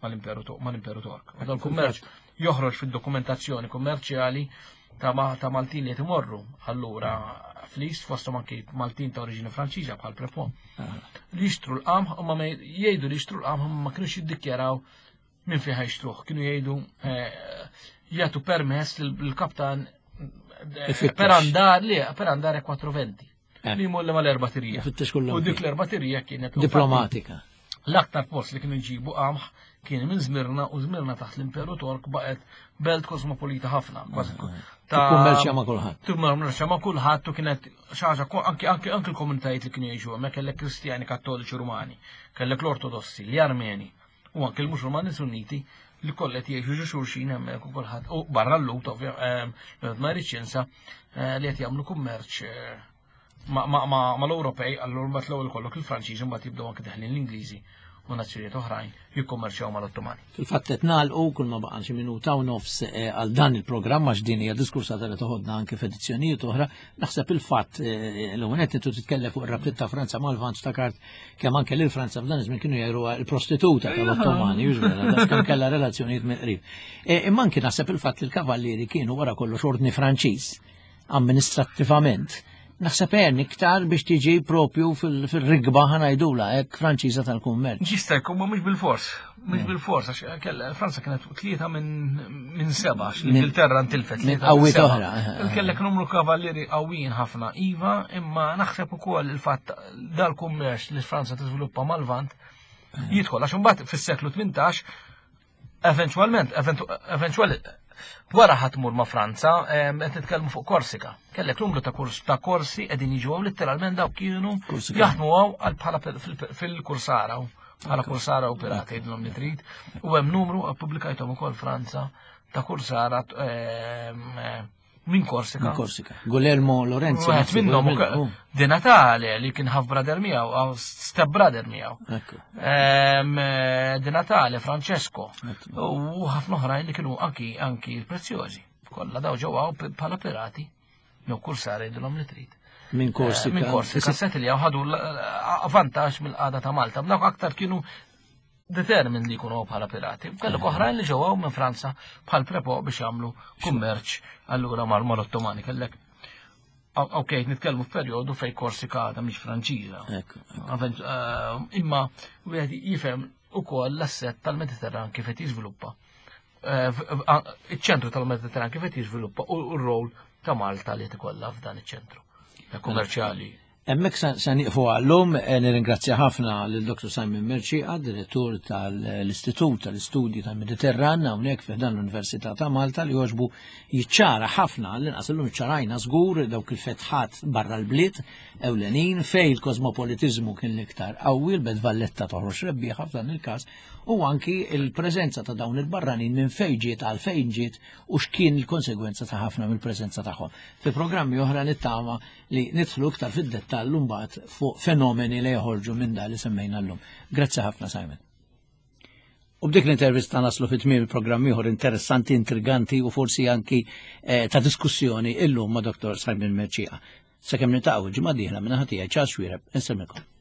[SPEAKER 3] mal-Imperu mal-Imperu Tork. U dal-kummerċ joħroġ fid-dokumentazzjoni kummerċjali ta' ta' Maltin li qed imorru allura fl-East fosthom anki Maltin ta' oriġini Franċiża bħal Prepon. Li jixtru l-qamħ u ma jgħidu li jixtru l-qamħ ma kienux jiddikjaraw minn fejn ħajxtruh. Kienu jgħidu eh, jagħtu permess lill-kaptan eh, per andar li per andare 420. Eh. Li jmur mal-erba tirija. U dik l-erba tirija kienet
[SPEAKER 1] diplomatika.
[SPEAKER 3] L-aktar post li kienu jġibu qamħ kien minn Zmirna u Zmirna taħt l-Imperu Tork baqgħet belt kosmopolita ħafna. Kważi
[SPEAKER 1] ta' kummerċja ma' kulħadd.
[SPEAKER 3] Kummerċja ma' kulħadd u kienet xi ħaġa anki anki anki l-komunitajiet li kienu jgħixu hemmhekk kellek Kristjani Kattoliċi Rumani, kellek l-Ortodossi, l-Armeni u anki l-Musulmani Sunniti li kollha qed jgħixu ġo xulxin hemmhekk u kulħadd u barra l-lut ovvja ma jridx jinsa eh, li qed jagħmlu kummerċ eh, mal-Ewropej allura mbagħad l-ewwel kollok il-Franċiżi mbagħad jibdew anke deħlin l-Ingliżi u nazzjonijiet oħrajn jikkummerċjaw mal-Ottomani.
[SPEAKER 1] Fil-fatt qed nagħlqu kull ma baqa' xi minuta u nofs eh, għal dan il-programm għax din hija diskursata li toħodna anke f'edizzjonijiet oħra. Naħseb il-fatt eh, l qed intu titkellem fuq ir-rabtiet ta' Franza mal-Lvant ftakart kemm anke lil Franza f'dan iż-żmien kienu jgħiruha l-prostituta tal-Ottomani, vera, kemm kellha relazzjonijiet mill-qrib. Eh, imma anke naħseb il-fatt li l-kavallieri kienu wara kollox ordni Franċiż amministrattivament. Naħseb għen iktar biex tiġi propju fil-rigba ħanajdula hekk Franċiża tal-kummerċ.
[SPEAKER 3] Jista' jkun ma mhux bil-fors, mhux mm. bil-fors għax kella Franza kienet tlieta minn seba' għax l-Ingilterra ntilfet.
[SPEAKER 1] Minn qawwiet oħra. Eh,
[SPEAKER 3] eh, eh. Kellek numru kavallieri qawwijin ħafna iva, imma naħseb ukoll il-fatt dal-kummerċ li Franza tiżviluppa mal-Lvant jidħol għax imbagħad fis-seklu 18 Eventualment, eventuali, wara ħatmur ma' Franza, qed nitkellmu fuq Korsika. Kellek numru ta' kurs ta' korsi qegħdin jiġu hawn litteralment dawk kienu jaħdmu hawn għal bħala fil-kursara bħala kursara u pirati jgħidilhom li trid. U hemm numru ppubblikajthom ukoll Franza ta' kursara Minn Korsika.
[SPEAKER 1] Minn Korsika. Guglielmo Lorenzi.
[SPEAKER 3] Wieħed minnhom Di Natale li kien half brother miegħu, step brother miegħu. Eh, Di Natale, Francesco. U ħafna oħrajn li kienu anki anki l-prezzjożi. Kollha daw ġewwa bħala pirati. Jew kull sar jgħidilhom li trid.
[SPEAKER 1] Minn Korsika.
[SPEAKER 3] Eh, minn Korsika, set li ħadu vantaġġ mill-qagħda ta' Malta. Dawk aktar kienu determined li jkunu bħala pirati. Kellek oħrajn li ġew minn Franza bħal prepo biex jagħmlu kummerċ allura mal-Ottomani kellek. Ok, nitkellmu f'perjodu fej Korsika għadha mhix Franċiża. Eh, imma wieħed jifhem ukoll l-asset tal-Mediterran kif qed jiżviluppa. Eh, iċ-ċentru tal-Mediterran kif qed jiżviluppa u r-rol ta' Malta li tikollha f'dan iċ-ċentru kummerċjali.
[SPEAKER 1] Hemmhekk se nieqfu għallum, eh, nirringrazzja ħafna lil Dr. Simon Merċieqa, direttur tal-Istitut tal-Istudji tal-Mediterran hawnhekk fi dan l-Università ta' Malta li jogħġbu jiċċara ħafna l-inqas illum iċċarajna żgur dawk il-fetħat barra l-bliet ewlenin fej il-kosmopolitiżmu kien l-iktar qawwi l-Belt Valletta toħroġ rebbieħa f'dan il-każ u anki il-preżenza ta' dawn il-barranin minn fejn ġiet għal fejn ġiet u x'kien il-konsegwenza ta' ħafna mill-preżenza tagħhom. Fi programmi oħra nittama li nidħlu iktar fid-dettall mbagħad fuq fenomeni li joħorġu minn da li semmejna llum. Grazzi ħafna Simon. U b'dik l-intervista naslu fit tmiem il-programm ieħor interessanti, intriganti u forsi anki eh, ta' diskussjoni illum ma' Dr. Simon Merċija. Sakemm nitaqgħu ġimgħa dieħla minn ħatija Charles Xwireb, insemmilkom.